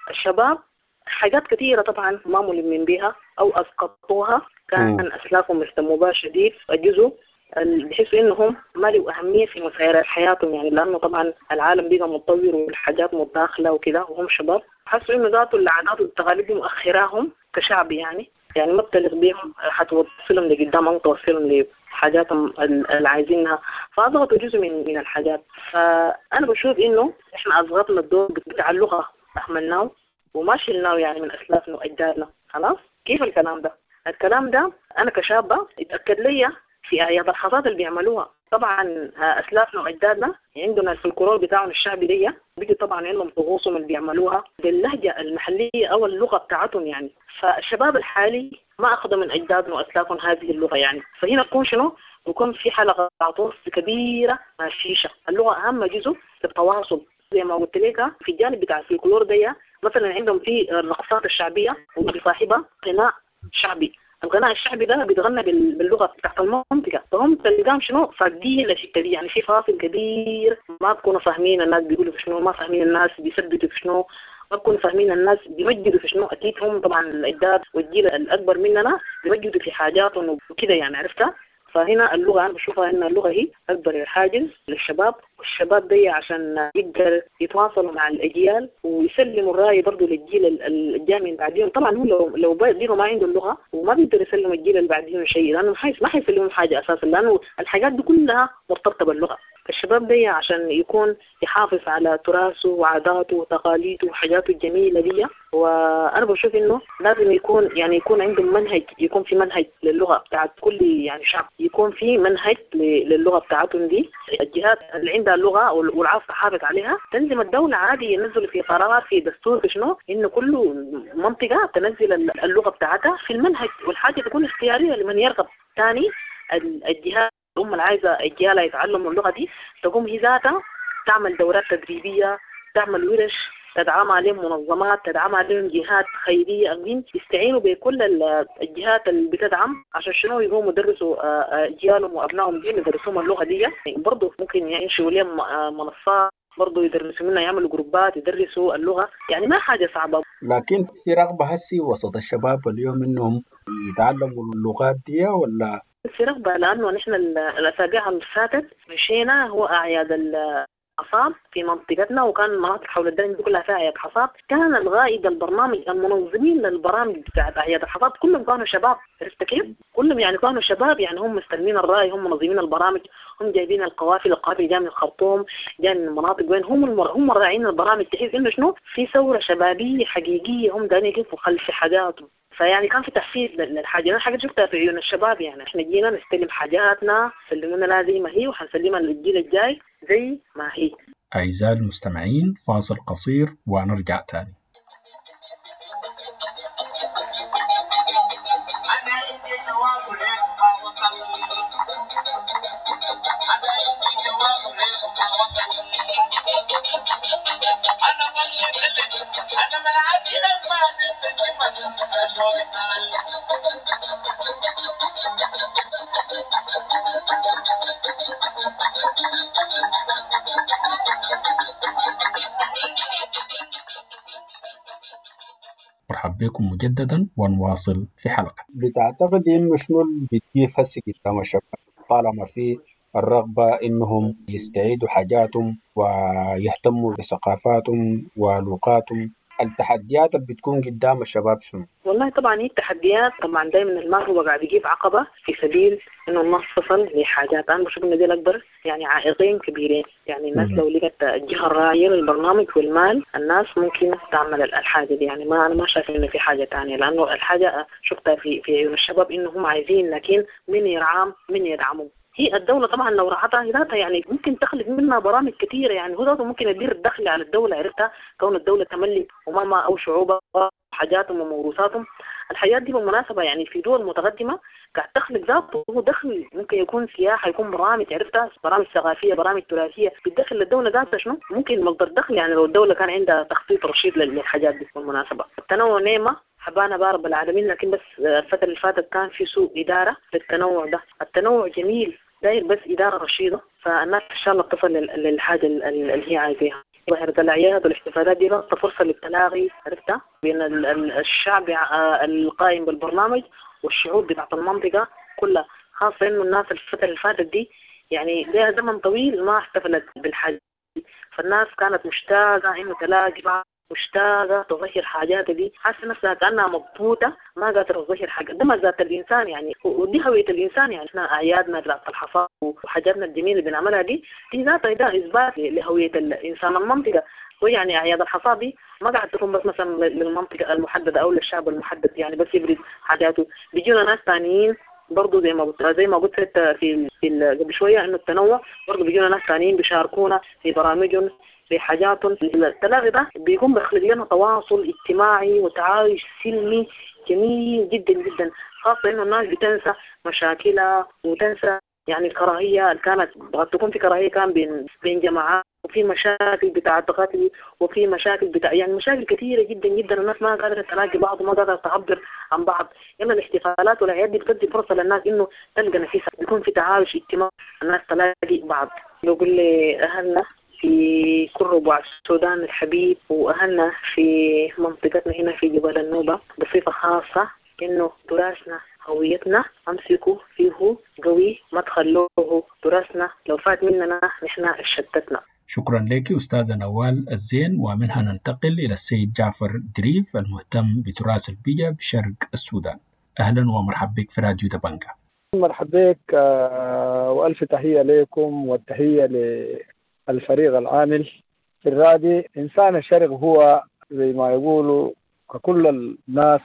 الشباب حاجات كثيرة طبعا ما ملمين بها أو أسقطوها، كان أسلافهم اهتموا بها شديد. الجزء اللي بحسوا إنهم ما له أهمية في مسيرة حياتهم يعني، لأنه طبعا العالم بقى متطور والحاجات متداخلة وكده، وهم شباب حسوا إنه ذاته العادات والتقاليد دي مؤخراهم كشعب يعني، يعني ما بتلغ بيهم حتوصلهم لقدام أو توصلهم لحاجاتهم اللي عايزينها، فأضغطوا جزء من من الحاجات. فأنا بشوف إنه إحنا أضغطنا الدور بتاع اللغة، أهملناه وما شلناه يعني من أسلافنا وأجدادنا. خلاص كيف الكلام ده؟ الكلام ده أنا كشابة اتأكد لي في أعياد الحصاد اللي بيعملوها. طبعا أسلافنا وأجدادنا عندنا الفلكلور بتاعهم الشعبي دي بيجي طبعا عندهم طقوسهم اللي بيعملوها باللهجة المحلية أو اللغة بتاعتهم يعني. فالشباب الحالي ما أخذوا من أجدادنا وأسلافهم هذه اللغة يعني. فهنا بكون شنو؟ بكون في حلقة عطوف كبيرة مع الشيشة. اللغة أهم جزء في التواصل زي ما قلت لك في الجانب بتاع الفلكلور ده مثلا عندهم في الرقصات الشعبية وبصاحبها غناء شعبي. الغناء الشعبي ده بيتغنى باللغة بتاعت المنطقة، فهم تلقاهم شنو فاقدين الحتة دي، يعني في فاصل كبير ما بكونوا فاهمين الناس بيقولوا في شنو، ما فاهمين الناس بيثبتوا في شنو، ما بكونوا فاهمين الناس بيمجدوا في شنو. اكيد هم طبعا الاجداد والجيل الاكبر مننا بيمجدوا في حاجاتهم وكده يعني، عرفتها. فهنا اللغة أنا بشوفها إن اللغة هي أكبر حاجز للشباب، والشباب دي عشان يقدر يتواصلوا مع الأجيال ويسلموا الرأي برضو للجيل الجاي من بعديهم. طبعا هو لو لو بيديروا ما عنده اللغة وما بيقدر يسلم الجيل اللي بعديهم شيء، لأنه ما حيسلمهم حاجة أساسا، لأنه الحاجات دي كلها مرتبطة باللغة. الشباب دي عشان يكون يحافظ على تراثه وعاداته وتقاليده وحاجاته الجميلة دي، وأنا بشوف إنه لازم يكون يعني يكون عندهم منهج، يكون في منهج للغة بتاعت كل يعني شعب، يكون في منهج للغة بتاعتهم دي. الجهات اللي عندها اللغة والعاوزة تحافظ عليها تنزل الدولة عادي، ينزلوا في قرار في دستور في شنو إنه كل منطقة تنزل اللغة بتاعتها في المنهج، والحاجة تكون اختيارية لمن يرغب. ثاني الجهات الأم اللي عايزة أجيالها يتعلموا اللغة دي تقوم هي ذاتها تعمل دورات تدريبية، تعمل ورش، تدعم عليهم منظمات، تدعم عليهم جهات خيرية، المهم يستعينوا بكل الجهات اللي بتدعم عشان شنو يقوموا يدرسوا أجيالهم وأبنائهم دي، يدرسوهم اللغة دي. برضه ممكن ينشئوا لهم منصات برضه يدرسوا منها، يعملوا جروبات يدرسوا اللغة، يعني ما حاجة صعبة. لكن في رغبة هسي وسط الشباب اليوم إنهم يتعلموا اللغات دي ولا في رغبة؟ لأنه نحن الأسابيع اللي فاتت مشينا هو أعياد الحصاد في منطقتنا، وكان المناطق حول الدرج كلها فيها أعياد حصاد. كان الغائد البرنامج المنظمين للبرامج بتاعت أعياد الحصاد كلهم كانوا شباب، عرفت كيف؟ كلهم يعني كانوا شباب، يعني هم مستلمين الرأي، هم منظمين البرامج، هم جايبين القوافل، القوافل جاية من الخرطوم، جاية من المناطق وين، هم المر... هم راعين البرامج. تحس إنه شنو في ثورة شبابية حقيقية، هم دايما يقفوا خلف حاجاتهم. فيعني كان في تحفيز للحاجة، أنا حاجة شفتها في عيون الشباب، يعني إحنا جينا نستلم حاجاتنا، سلمونا لها زي ما هي وحنسلمها للجيل الجاي زي ما هي. أعزائي المستمعين، فاصل قصير ونرجع تاني. مرحب بكم مجددا ونواصل في حلقة. بتعتقد إنه شنو اللي بتجيف هسه قدام الشباب طالما في الرغبة إنهم يستعيدوا حاجاتهم ويهتموا بثقافاتهم ولغاتهم؟ التحديات اللي بتكون قدام الشباب شنو؟ والله طبعا هي التحديات طبعا دائما المال هو قاعد يجيب عقبه في سبيل انه الناس تصل لحاجات. انا بشوف انه دي الاكبر يعني عائقين كبيرين، يعني الناس لو لقت الجهة الراعيه للبرنامج والمال الناس ممكن تعمل الحاجة دي. يعني ما انا ما شايف انه في حاجة ثانية، لانه الحاجة شفتها في في عيون الشباب انه هم عايزين، لكن من يرعام من يدعمهم. هي الدولة طبعا لو رعتها ذاتها يعني ممكن تخلق منها برامج كثيرة، يعني هو ذاته ممكن يدير الدخل على الدولة، عرفتها كون الدولة تملك أمامها أو شعوبها حاجاتهم وموروثاتهم. الحاجات دي بالمناسبة يعني في دول متقدمة قاعد تخلق ذاته دخل، ممكن يكون سياحة، يكون برامج، عرفتها برامج ثقافية، برامج تراثية بتدخل للدولة ذاتها شنو ممكن مصدر دخل، يعني لو الدولة كان عندها تخطيط رشيد للحاجات دي. بالمناسبة التنوع نعمة حبانا بارب العالمين، لكن بس الفترة اللي فاتت كان في سوء إدارة للتنوع ده. التنوع جميل داير بس إدارة رشيدة، فالناس إن شاء الله بتصل للحاجة اللي هي عايزاها. ظاهرة الأعياد والاحتفالات دي لها فرصة للتلاغي، عرفتها بين الشعب القائم بالبرنامج والشعوب بتاعت المنطقة كلها، خاصة إنه الناس الفترة اللي فاتت دي يعني لها زمن طويل ما احتفلت بالحاجة، فالناس كانت مشتاقة إنه تلاقي بعض، مشتاقة تظهر حاجات دي، حاسة نفسها كأنها مضبوطة ما قادرة تظهر حاجة. ده ما ذات الإنسان يعني، ودي هوية الإنسان. يعني إحنا أعيادنا بتاعت الحصاد وحاجاتنا الجميلة اللي بنعملها دي دي ذاتها ده إثبات لهوية الإنسان المنطقة. ويعني أعياد الحصاد دي ما قاعد تكون بس مثلا للمنطقة المحددة أو للشعب المحدد، يعني بس يبرز حاجاته، بيجونا ناس ثانيين برضو زي ما قلت زي ما قلت في في قبل شوية إنه التنوع برضو بيجونا ناس ثانيين بيشاركونا في برامجهم في حاجاتهم. التلاغي ده بيكون بيخلق لنا تواصل اجتماعي وتعايش سلمي جميل جدا جدا، خاصة إنه الناس بتنسى مشاكلها وتنسى يعني الكراهية اللي كانت قد تكون في كراهية كان بين بين جماعات وفي مشاكل بتاعة قتل، وفي مشاكل بتاع يعني مشاكل كثيرة جدا جدا، الناس ما قادرة تلاقي بعض وما قادرة تعبر عن بعض. يلا الاحتفالات والأعياد دي بتدي فرصة للناس إنه تلقى نفسها، بيكون في تعايش اجتماعي، الناس تلاقي بعض. بقول لأهلنا في كل ربوع السودان الحبيب وأهلنا في منطقتنا هنا في جبال النوبة بصفة خاصة إنه تراثنا هويتنا أمسكوا فيه قوي، ما تخلوه، تراثنا لو فات مننا نحن شتتنا. شكرا لك أستاذة نوال الزين. ومنها ننتقل إلى السيد جعفر دريف المهتم بتراث البيئة بشرق السودان. أهلا ومرحبا بك في راديو دبنجا. مرحبا بك وألف تحية لكم والتحية للفريق العامل في الرادي. إنسان الشرق هو زي ما يقولوا ككل الناس،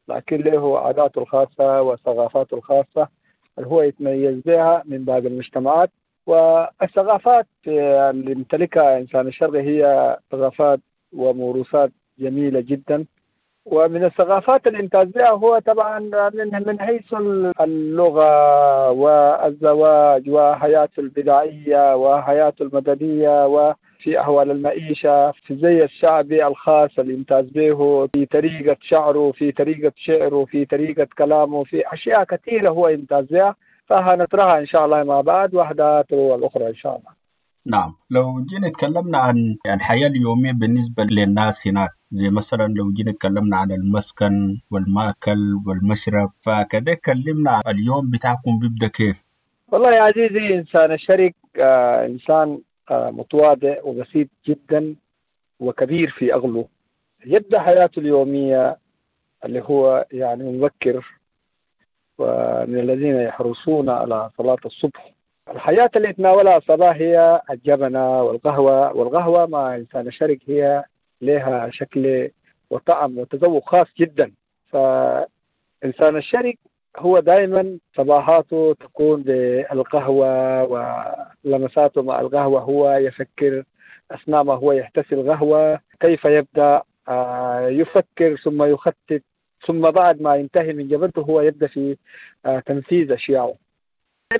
لكن له عاداته الخاصة وثقافاته الخاصة اللي هو يتميز بها من باقي المجتمعات. والثقافات اللي يمتلكها إنسان الشرق هي ثقافات وموروثات جميلة جدا. ومن الثقافات اللي يمتاز بها هو طبعا من من حيث اللغة والزواج وحياته البدائية وحياته المدنية وفي أحوال المعيشة، في الزي الشعبي الخاص اللي يمتاز به، في طريقة شعره، في طريقة شعره، في طريقة كلامه، في أشياء كثيرة هو يمتاز بها، فهنطرحها إن شاء الله مع بعض واحدة تلو الأخرى إن شاء الله. نعم، لو جينا تكلمنا عن الحياة اليومية بالنسبة للناس هناك، زي مثلا لو جينا تكلمنا عن المسكن والمأكل والمشرب، فكده كلمنا عن اليوم بتاعكم بيبدأ كيف؟ والله يا عزيزي، إنسان الشرق آه إنسان آه متواضع وبسيط جدا وكبير في أغله. يبدأ حياته اليومية اللي هو يعني مبكر، ومن الذين يحرصون على صلاة الصبح. الحياة اللي يتناولها الصباح هي الجبنة والقهوة، والقهوة مع إنسان الشرق هي لها شكل وطعم وتذوق خاص جدا. فإنسان الشرق هو دائما صباحاته تكون بالقهوة ولمساته مع القهوة، هو يفكر أثناء ما هو يحتسي القهوة كيف يبدأ، يفكر ثم يخطط، ثم بعد ما ينتهي من جبنته هو يبدأ في تنفيذ أشياءه.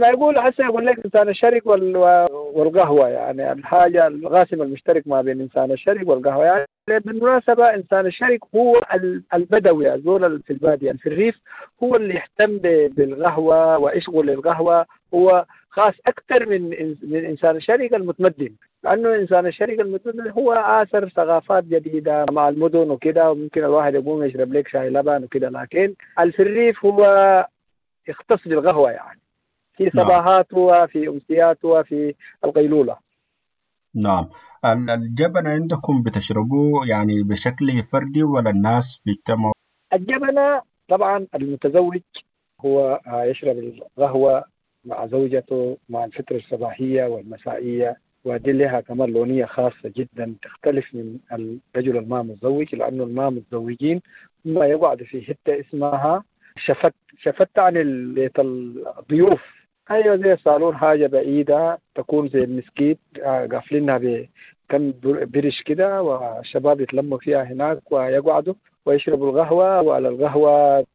ما يقول حسن يقول لك إنسان الشرق والقهوة، يعني الحاجة القاسم المشترك ما بين إنسان الشرق والقهوة. يعني بالمناسبة إنسان الشرق هو البدوي، الزول في البادية في الريف، هو اللي يهتم بالقهوة ويشغل القهوة، هو خاص أكثر من من إنسان الشرق المتمدن، لأنه إنسان الشرق المتمدن هو آثر ثقافات جديدة مع المدن وكده، وممكن الواحد يقوم يشرب لك شاي لبن وكده، لكن في الريف هو يختص بالقهوة يعني في صباحاته وفي أمسياته وفي القيلولة. نعم، الجبنة عندكم بتشربوه يعني بشكل فردي ولا الناس بيجتمعوا؟ الجبنة طبعا المتزوج هو يشرب القهوة مع زوجته مع الفترة الصباحية والمسائية، ودي لها كمان لونية خاصة جدا تختلف من الرجل الما متزوج، لأنه الما متزوجين ما يقعد في حتة اسمها شفت، شفت عن بيت الضيوف، أيوة زي الصالون، حاجة بعيدة تكون زي المسكيت قافلينها بكم برش كده، والشباب يتلموا فيها هناك ويقعدوا ويشربوا القهوة، وعلى القهوة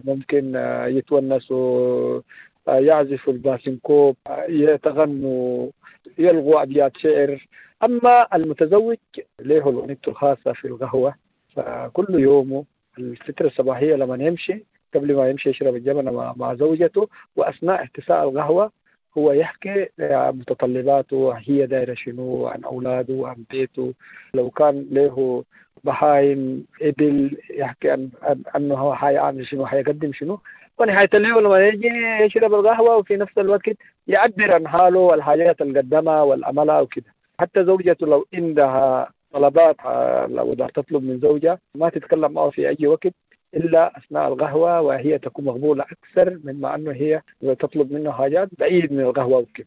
ممكن يتونسوا، يعزفوا الباسنكوب، يتغنوا، يلغوا أبيات شعر. أما المتزوج له الأغنية الخاصة في القهوة، فكل يومه الفترة الصباحية لما يمشي، قبل ما يمشي يشرب الجبنة مع زوجته، وأثناء احتساء القهوة هو يحكي متطلباته، هي دايرة شنو، عن أولاده وعن بيته، لو كان له بهايم إبل يحكي عن أنه هو حيعمل شنو، حيقدم شنو. ونهاية اليوم لما يجي يشرب القهوة وفي نفس الوقت يعبر عن حاله والحاجات اللي قدمها والأملها وكده. حتى زوجته لو عندها طلبات، لو تطلب من زوجها ما تتكلم معه في أي وقت إلا أثناء القهوة، وهي تكون مقبولة أكثر مما أنه هي تطلب منه حاجات بعيد من القهوة وكده.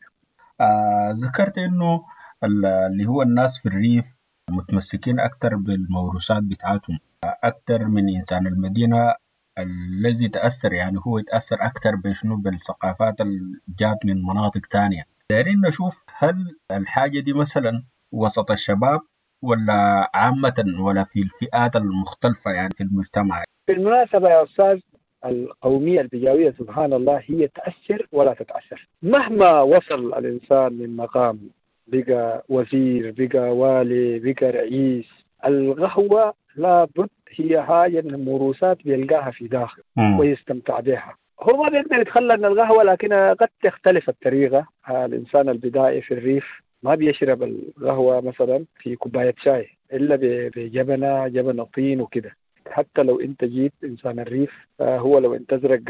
آه، ذكرت إنه اللي هو الناس في الريف متمسكين أكثر بالموروثات بتاعتهم أكثر من إنسان المدينة الذي تأثر، يعني هو يتأثر أكثر بشنو، بالثقافات اللي جات من مناطق تانية. دايرين نشوف هل الحاجة دي مثلا وسط الشباب ولا عامة ولا في الفئات المختلفة يعني في المجتمع؟ بالمناسبة يا أستاذ، القومية البجاوية سبحان الله هي تأثر ولا تتأثر. مهما وصل الإنسان من مقام بقى وزير، بقى والي، بقى رئيس، القهوة لابد هي حاجة من الموروثات بيلقاها في داخله ويستمتع بها. هو ما بيقدر يتخلى من القهوة، لكن قد تختلف الطريقة. الإنسان البدائي في الريف ما بيشرب القهوة مثلا في كوباية شاي إلا بجبنة، جبنة طين وكده. حتى لو انت جيت انسان الريف، هو لو انت ازرق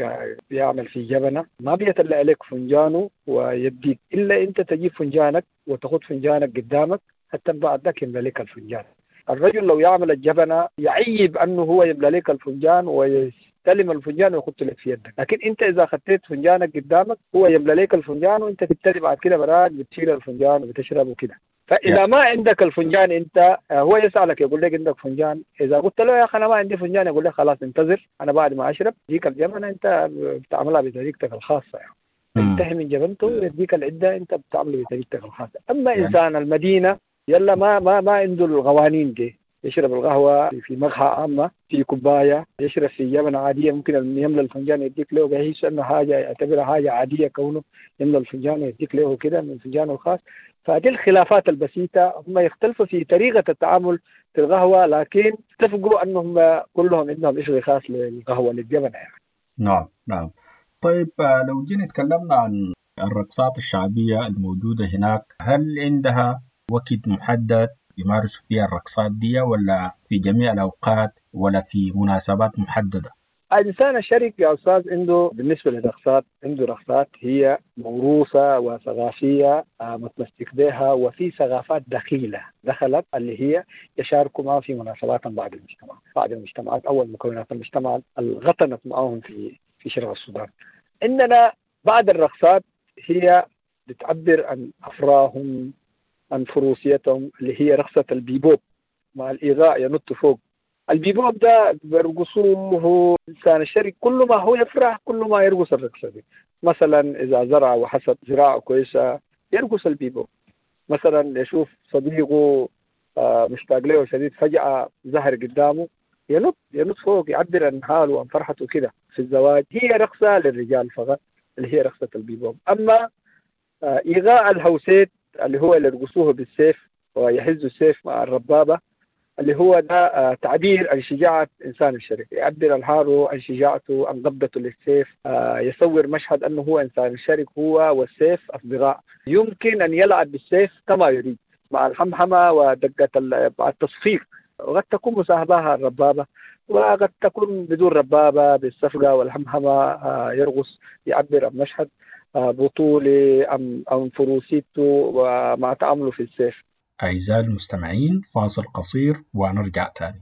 بيعمل في جبنه ما بيطلع لك فنجانه ويديك، الا انت تجيب فنجانك وتاخذ فنجانك قدامك حتى بعد ذاك يملى لك الفنجان. الرجل لو يعمل الجبنة يعيب انه هو يملى لك الفنجان ويستلم الفنجان ويحط لك في يدك، لكن انت اذا خطيت فنجانك قدامك هو يملى لك الفنجان وانت تبتدي بعد كده براك بتشيل الفنجان وبتشرب وكده. فإذا ما عندك الفنجان أنت، هو يسألك يقول لك عندك فنجان، إذا قلت له يا أخي أنا ما عندي فنجان يقول لك خلاص انتظر أنا بعد ما أشرب ديك الجبنة أنت بتعملها بطريقتك الخاصة يعني. انتهي من جبنته ويديك العدة أنت بتعملها بطريقتك الخاصة. أما يعني. إنسان المدينة يلا ما ما ما عنده القوانين دي، يشرب القهوة في مقهى عامة في كوباية، يشرب في جبنة عادية، ممكن يملى الفنجان يديك له، بيحس أنه حاجة يعتبرها حاجة عادية كونه يملى الفنجان ويديك له كده من فنجانه الخاص. فهذه الخلافات البسيطة، هم يختلفوا في طريقة التعامل في القهوة، لكن اتفقوا أنهم كلهم عندهم شيء خاص للقهوة للجبنة يعني. نعم نعم. طيب لو جينا تكلمنا عن الرقصات الشعبية الموجودة هناك، هل عندها وقت محدد يمارسوا فيها الرقصات دي ولا في جميع الأوقات ولا في مناسبات محددة؟ الإنسان الشرق يا أستاذ عنده بالنسبة للرقصات، عنده رقصات هي موروثة وثقافية متمسك بها، وفي ثقافات دخيلة دخلت اللي هي يشاركوا معه في مناسبات بعض المجتمع، بعض المجتمعات أو المكونات المجتمع اللي غطنت معهم في في شرق السودان. عندنا بعض الرقصات هي بتعبر عن أفراحهم، عن فروسيتهم، اللي هي رقصة البيبوب مع الإيغاء ينط فوق. البيبوب ده بيرقصوه إنسان الشرق كل ما هو يفرح كل ما يرقص الرقصة دي. مثلا إذا زرع وحصد زراعة كويسة يرقص البيبوب. مثلا يشوف صديقه مشتاق له شديد فجأة ظهر قدامه ينط ينط فوق يعبر عن حاله وعن فرحته كده. في الزواج هي رقصة للرجال فقط اللي هي رقصة البيبوب. أما إيغاء الهوسيت اللي هو اللي يرقصوه بالسيف ويهزوا السيف مع الربابة، اللي هو ده تعبير عن شجاعة إنسان الشرق، يعبر عن حاله، عن شجاعته، عن قبضته للسيف، يصور مشهد أنه هو إنسان الشرق، هو والسيف أصدقاء، يمكن أن يلعب بالسيف كما يريد مع الحمحمة ودقة التصفيق، وقد تكون مصاحبها الربابة وقد تكون بدون ربابة، بالصفقة والحمحمة يرقص يعبر عن مشهد بطولة أم أم فروسيته ومع تعامله في السيف. أعزائي المستمعين، فاصل قصير ونرجع تاني.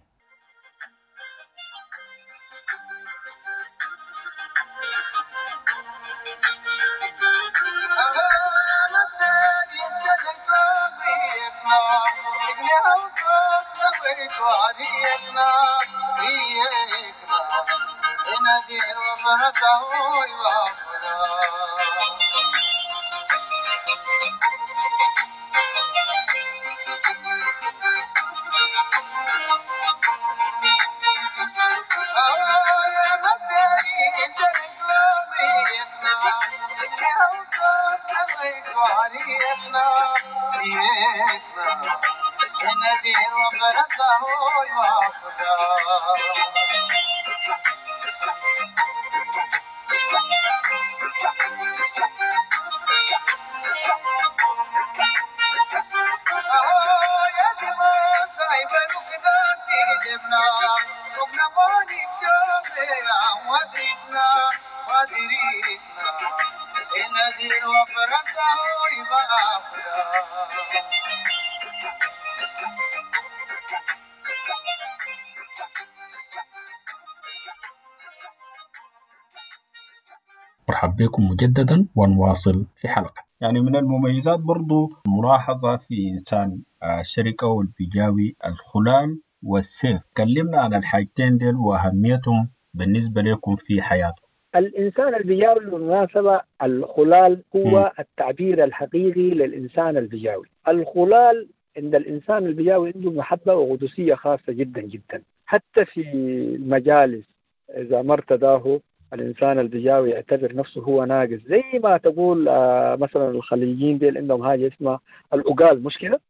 مرحب بكم مجددا ونواصل في حلقة. يعني من المميزات برضو ملاحظة في إنسان الشركة والبيجاوي الخلال والسيف. كلمنا عن الحاجتين ديل وأهميتهم بالنسبة لكم في حياتكم. الإنسان البيجاوي بالمناسبة الخلال هو م. التعبير الحقيقي للإنسان البيجاوي. الخلال عند الإنسان البيجاوي عنده محبة وقدسية خاصة جدا جدا، حتى في المجالس إذا ما ارتداه الإنسان البجاوي يعتبر نفسه هو ناقص، زي ما تقول آه مثلا الخليجيين ديل عندهم حاجة اسمها الأقال، مش كده؟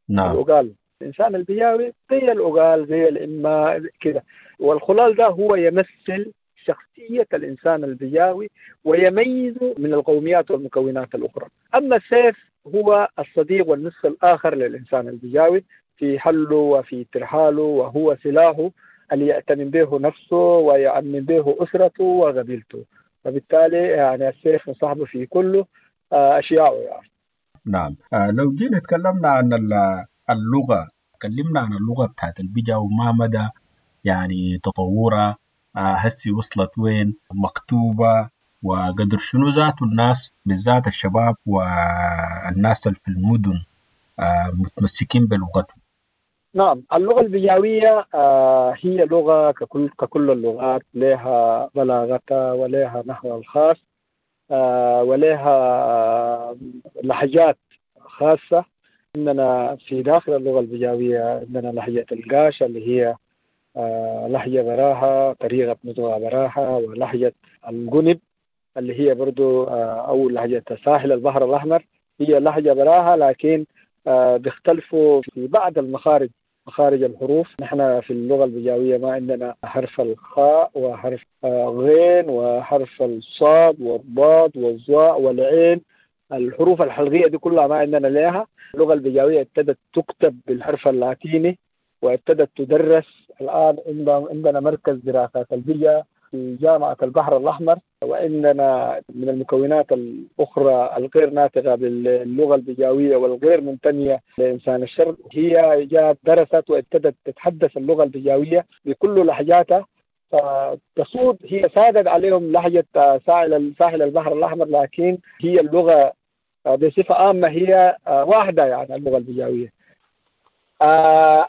نعم. الأقال، الإنسان البجاوي زي الأقال زي الإما كده، والخلال ده هو يمثل شخصية الإنسان البجاوي ويميزه من القوميات والمكونات الأخرى. أما السيف هو الصديق والنصف الآخر للإنسان البجاوي في حله وفي ترحاله، وهو سلاحه اللي يأتمن به نفسه ويأمن به أسرته وقبيلته، فبالتالي يعني السيف مصاحبه في كل أشياءه يعني. نعم. لو جينا تكلمنا عن اللغة، تكلمنا عن اللغة بتاعت البجا وما مدى يعني تطورها، هسي وصلت وين، مكتوبة، وقدر شنو ذاته الناس بالذات الشباب والناس اللي في المدن متمسكين بلغتهم. نعم، اللغة البجاوية هي لغة ككل, ككل اللغات، لها بلاغتها ولها نحوها الخاص ولها لهجات خاصة. عندنا في داخل اللغة البجاوية عندنا لهجة القاشة اللي هي لهجة براها، طريقة نطقها براها، ولهجة الجنب اللي هي برضو أو لهجة ساحل البحر الأحمر هي لهجة براها، لكن بيختلفوا في بعض المخارج، مخارج الحروف. نحن في اللغة البجاوية ما عندنا حرف الخاء وحرف غين وحرف الصاد والضاد والظاء والعين، الحروف الحلقية دي كلها ما عندنا لها. اللغة البجاوية ابتدت تكتب بالحرف اللاتيني وابتدت تدرس. الآن عندنا مركز دراسات البجا في جامعة البحر الأحمر، وعندنا من المكونات الأخرى الغير ناطقة باللغة البجاوية والغير منتمية لإنسان الشرق هي جاءت درست وابتدت تتحدث اللغة البجاوية بكل لهجاتها. فتصود هي سادت عليهم لهجة ساحل ساحل البحر الأحمر، لكن هي اللغة بصفة عامة هي واحدة يعني اللغة البجاوية.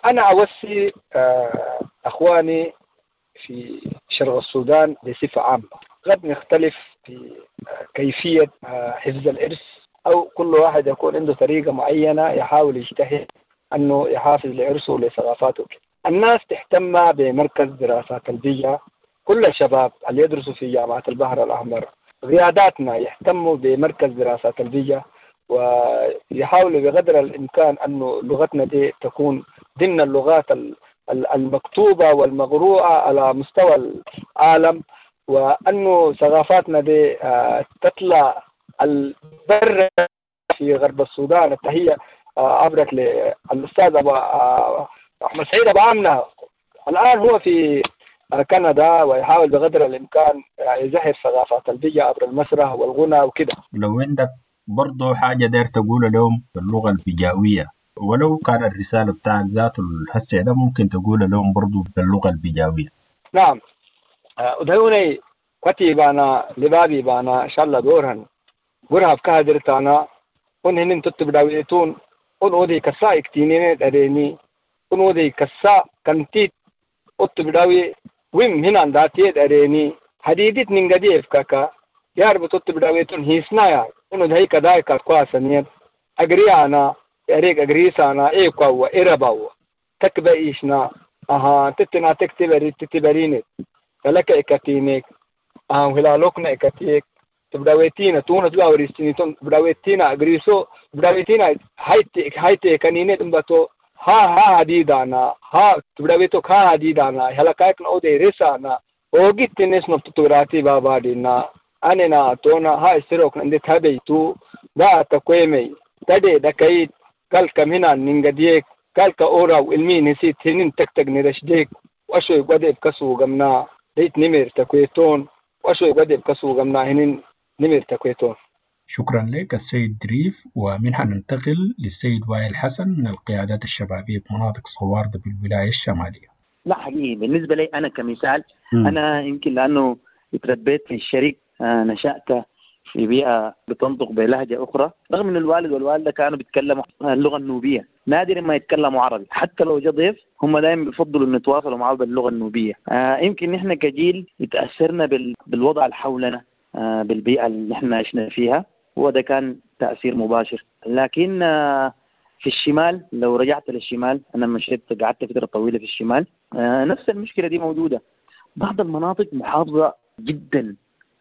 أنا أوصي أخواني في شرق السودان بصفة عامة، قد نختلف في كيفية حفظ الإرث، أو كل واحد يكون عنده طريقة معينة يحاول يجتهد أنه يحافظ لإرثه ولثقافاته. الناس تهتم بمركز دراسات البيئة، كل الشباب اللي يدرسوا في جامعة البحر الأحمر قياداتنا يهتموا بمركز دراسات البيئة ويحاولوا بقدر الإمكان أنه لغتنا دي تكون ضمن اللغات المكتوبة والمقروءة على مستوى العالم، وأنه ثقافاتنا دي تطلع البر في غرب السودان. التحية عبرك للأستاذ أبو أحمد سعيد أبو آمنة، الآن هو في كندا ويحاول بقدر الإمكان يزهر ثقافات البيئة عبر المسرح والغنى وكده. لو عندك برضو حاجة داير تقولها لهم باللغة البجاوية، ولو كان الرسالة بتاعك ذاته الهسع ده ممكن تقولها لهم برضو باللغة البجاوية. نعم، ودهوني كتي بانا لبابي بانا إن شاء الله دورهن قرها بكهدرتانا ونهنن تتبداويتون ونودي كسا اكتينين أريني ونودي كسا كنتيت اتبداوي ويم هنا داتيت أريني حديدت ننقدي افكاكا يارب تتبداويتون هيسنا ونود هي كدايكا كواسنيت أجريانا أريك أجريسانا إيقوا إرباو تكبا إيشنا أها تتنا تكتبري تتبرينك فلك إكتينك أها وهلالوكنا إكتيك تبداويتينا تونا تبداويتينا تبداويتينا أجريسو تبداويتينا هايتي هايتي كنينة إمبتو ها ها هديدانا ها تبداويتو ها هديدانا هلكاك نودي رسانا وجيت تنس نفتوراتي بابا دينا أنا تونا ها استروك عند تبيتو دا تقويمي تدي دكايت قال كم هنا ننقديك قال كأورا والمين نسيت هنين تكتك نرشديك وأشوي قدي بكسو جمنا ديت نمر تكويتون وأشوي قدي بكسو جمنا هنين نمر تكويتون. شكرا لك السيد دريف، ومنها ننتقل للسيد وائل حسن من القيادات الشبابية بمناطق صواردة بالولاية الشمالية. لا حقيقي بالنسبة لي أنا كمثال م. أنا يمكن لأنه تربيت في الشريك، نشأت في بيئة بتنطق بلهجة أخرى، رغم أن الوالد والوالدة كانوا بيتكلموا اللغة النوبية، نادر ما يتكلموا عربي، حتى لو جاء ضيف هم دائما بيفضلوا أن يتواصلوا معه باللغة النوبية. آه يمكن نحن كجيل تأثرنا بالوضع اللي حولنا، آه بالبيئة اللي نحن عشنا فيها، وده كان تأثير مباشر. لكن آه في الشمال، لو رجعت للشمال، أنا مشيت قعدت فترة طويلة في الشمال، آه نفس المشكلة دي موجودة. بعض المناطق محافظة جدا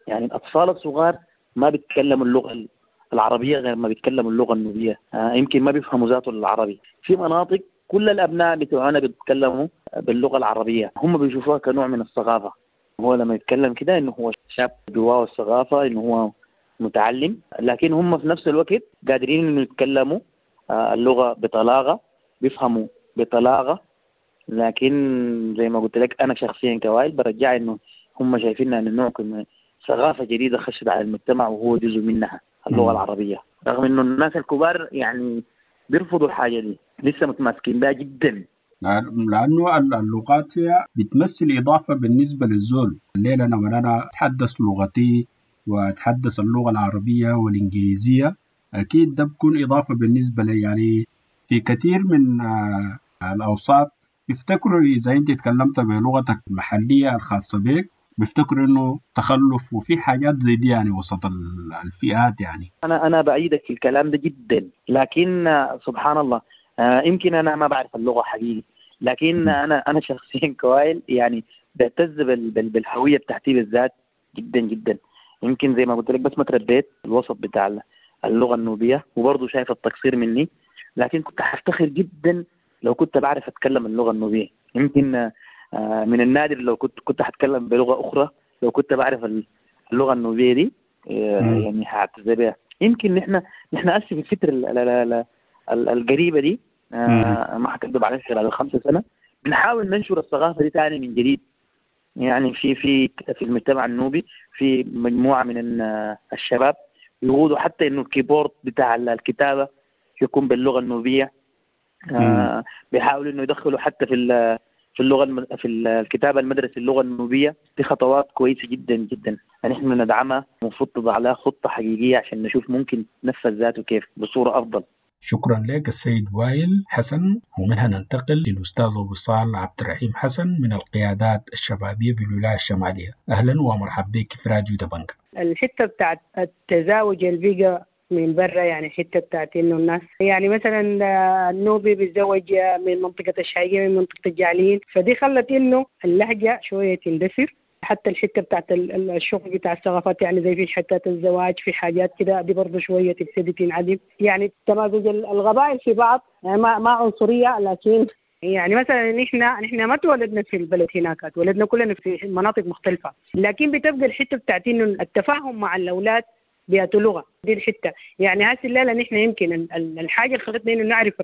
يعني الأطفال الصغار ما بيتكلموا اللغة العربية غير ما بيتكلموا اللغة النوبية، آه يمكن ما بيفهموا ذاته العربي. في مناطق كل الأبناء بتوعنا بيتكلموا باللغة العربية، هم بيشوفوها كنوع من الثقافة. هو لما يتكلم كده إنه هو شاب جواه الثقافة، إنه هو متعلم، لكن هم في نفس الوقت قادرين إنه يتكلموا اللغة بطلاقة، بيفهموا بطلاقة. لكن زي ما قلت لك أنا شخصيا كوائل برجع إنه هم شايفين إنه نوع ثقافة جديدة خشت على المجتمع وهو جزء منها اللغة العربية، رغم إنه الناس الكبار يعني بيرفضوا الحاجة دي، لسه متماسكين بها جدا. لأنه اللغات هي بتمثل إضافة بالنسبة للزول. الليلة لما أنا أتحدث لغتي وأتحدث اللغة العربية والإنجليزية أكيد ده بكون إضافة بالنسبة لي. يعني في كثير من الأوساط بيفتكروا إذا أنت تكلمت بلغتك المحلية الخاصة بك بيفتكروا إنه تخلف، وفي حاجات زي دي يعني وسط الفئات. يعني أنا أنا بعيدك في الكلام ده جدا، لكن سبحان الله آه يمكن أنا ما بعرف اللغة حقيقي، لكن أنا أنا شخصيا كوائل يعني بعتز بال بال بالهوية بتاعتي بالذات جدا جدا. يمكن زي ما قلت لك بس ما تربيت الوسط بتاع اللغة النوبية، وبرضه شايف التقصير مني، لكن كنت حفتخر جدا لو كنت بعرف أتكلم اللغة النوبية. يمكن آه من النادر لو كنت كنت حتكلم بلغة أخرى لو كنت بعرف اللغة النوبية دي آه يعني هعتز بها. يمكن نحن نحن أسف الفترة القريبة دي آه ما حكذب عليك خلال الخمسة سنة بنحاول ننشر الثقافة دي تاني من جديد. يعني في في في المجتمع النوبي في مجموعة من الشباب يقودوا حتى إنه الكيبورد بتاع الكتابة يكون باللغة النوبية. آه بيحاولوا إنه يدخلوا حتى في في اللغة الم... في الكتابة المدرسة اللغة النوبية. دي خطوات كويسة جدا جدا نحن ندعمها، المفروض تضع لها خطة حقيقية عشان نشوف ممكن تنفذ ذاته كيف بصورة أفضل. شكرا لك السيد وائل حسن. ومنها ننتقل للأستاذ وصال عبد الرحيم حسن من القيادات الشبابية بالولاية الشمالية. أهلا ومرحبا بك في راديو دبنجا. الحتة بتاعت التزاوج اللي بقى من برا، يعني حتة بتاعت إنه الناس يعني مثلا النوبي بيتزوج من منطقة الشايقية من منطقة الجعليين، فدي خلت إنه اللهجة شوية تندثر. حتى الحتة بتاعت الشغل بتاع الثقافات، يعني زي في حتات الزواج في حاجات كده دي برضه شوية تبتدي تنعدم. يعني تمازج القبائل في بعض، يعني ما ما عنصرية، لكن يعني مثلا نحن نحن ما تولدنا في البلد هناك، تولدنا كلنا في مناطق مختلفة، لكن بتبقى الحتة بتاعت إنه التفاهم مع الاولاد بياتوا لغة دي الحتة. يعني هسه الليلة نحن يمكن الحاجة اللي خلتنا انه نعرف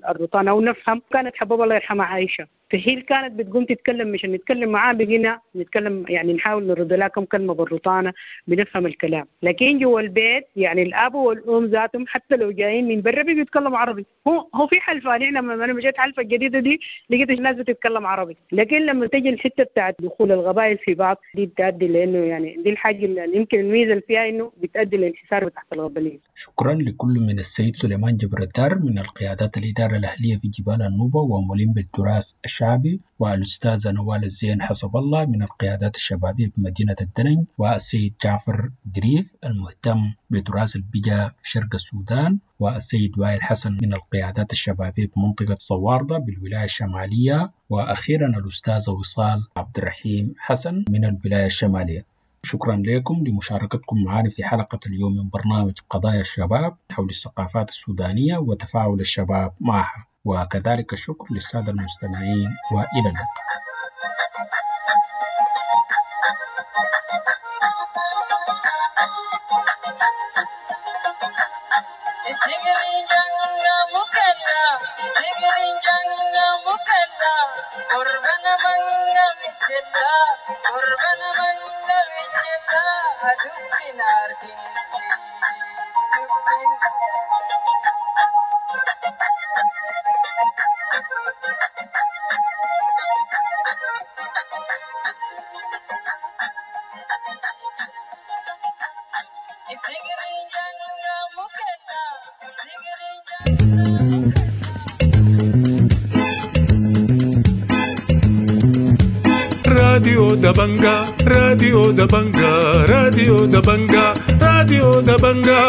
الرطانه او نفهم كانت حبوب الله يرحمها عائشة، فهي كانت بتقوم تتكلم مشان نتكلم معاه بقينا نتكلم، يعني نحاول نرد لها كم كلمة بالرطانه بنفهم الكلام. لكن جوا البيت يعني الاب والام ذاتهم حتى لو جايين من برا بيتكلموا عربي. هو هو في حلفه، نحن لما انا مشيت حلفه الجديدة دي لقيت الناس بتتكلم عربي، لكن لما تجي الحتة بتاعت دخول القبائل في بعض دي بتؤدي لانه يعني دي الحاجة اللي يمكن الميزة اللي فيها انه بتؤدي لانحسار تحت القبلية. شكرا لكل من السيد سليمان جبر الدار من القيادات الإدارة الأهلية في جبال النوبة وملم بالتراث الشعبي، والأستاذة نوال الزين حسب الله من القيادات الشبابية بمدينة الدلنج، والسيد جعفر دريف المهتم بتراث البجا في شرق السودان، والسيد وائل حسن من القيادات الشبابية بمنطقة صواردة بالولاية الشمالية، وأخيرا الأستاذة وصال عبد الرحيم حسن من الولاية الشمالية. شكرا لكم لمشاركتكم معنا في حلقة اليوم من برنامج قضايا الشباب حول الثقافات السودانية وتفاعل الشباب معها، وكذلك الشكر للسادة المستمعين، وإلى اللقاء. راديو دبنجا، راديو دبنجا، راديو دبنجا، راديو دبنجا.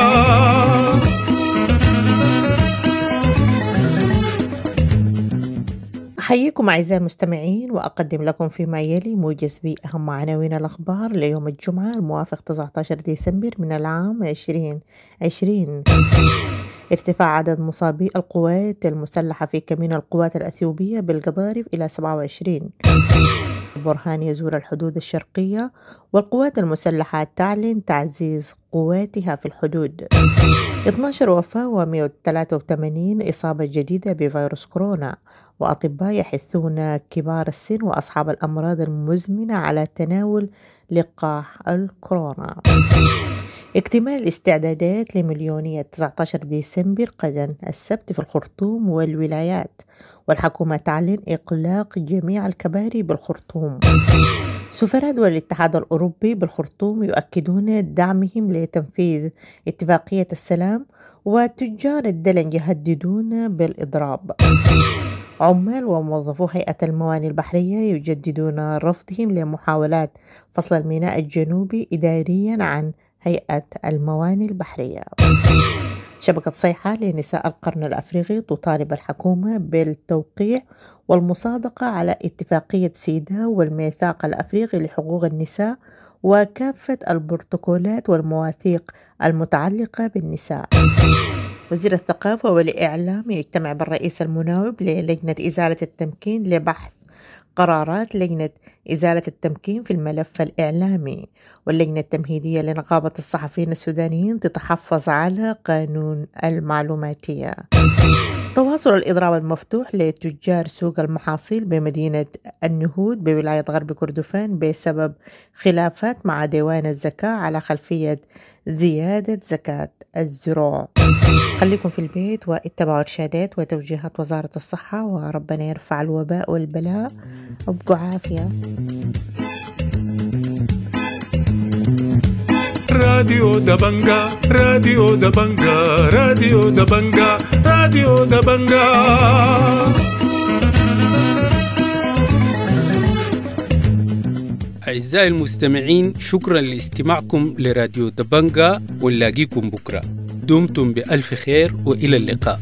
أحييكم أعزائي المستمعين، وأقدم لكم فيما يلي موجز بأهم عناوين الأخبار ليوم الجمعة الموافق تسعة عشر ديسمبر من العام عشرين عشرين. ارتفاع عدد مصابي القوات المسلحة في كمين القوات الأثيوبية بالقضارف إلى سبعة وعشرين. برهان يزور الحدود الشرقية، والقوات المسلحة تعلن تعزيز قواتها في الحدود. اثنا عشر وفاة ومئة وثلاثة وثمانين إصابة جديدة بفيروس كورونا، وأطباء يحثون كبار السن وأصحاب الأمراض المزمنة على تناول لقاح الكورونا. اكتمال الاستعدادات لمليونية تسعة عشر ديسمبر غدا السبت في الخرطوم والولايات، والحكومة تعلن إغلاق جميع الكباري بالخرطوم. سفراء دول الاتحاد الأوروبي بالخرطوم يؤكدون دعمهم لتنفيذ اتفاقية السلام، وتجار الدلنج يهددون بالإضراب. عمال وموظفو هيئة الموانئ البحرية يجددون رفضهم لمحاولات فصل الميناء الجنوبي إداريا عن هيئة الموانئ البحرية. شبكة صيحة لنساء القرن الأفريقي تطالب الحكومة بالتوقيع والمصادقة على اتفاقية سيداو والميثاق الأفريقي لحقوق النساء وكافة البروتوكولات والمواثيق المتعلقة بالنساء. وزير الثقافة والإعلام يجتمع بالرئيس المناوب للجنة إزالة التمكين لبحث قرارات لجنة إزالة التمكين في الملف الإعلامي. واللجنة التمهيدية لنقابة الصحفيين السودانيين تتحفظ على قانون المعلوماتية. تواصل الإضراب المفتوح لتجار سوق المحاصيل بمدينة النهود بولاية غرب كردفان بسبب خلافات مع ديوان الزكاة على خلفية زيادة زكاة الزروع. خليكم في البيت واتبعوا إرشادات وتوجيهات وزارة الصحة، وربنا يرفع الوباء والبلاء. ابقوا عافية. راديو دبنجا، راديو دبنجا، راديو دبنجا، راديو دبنجا. أعزائي المستمعين، شكرا لاستماعكم لراديو دبنجا، ونلاقيكم بكرة. دمتم بألف خير وإلى اللقاء.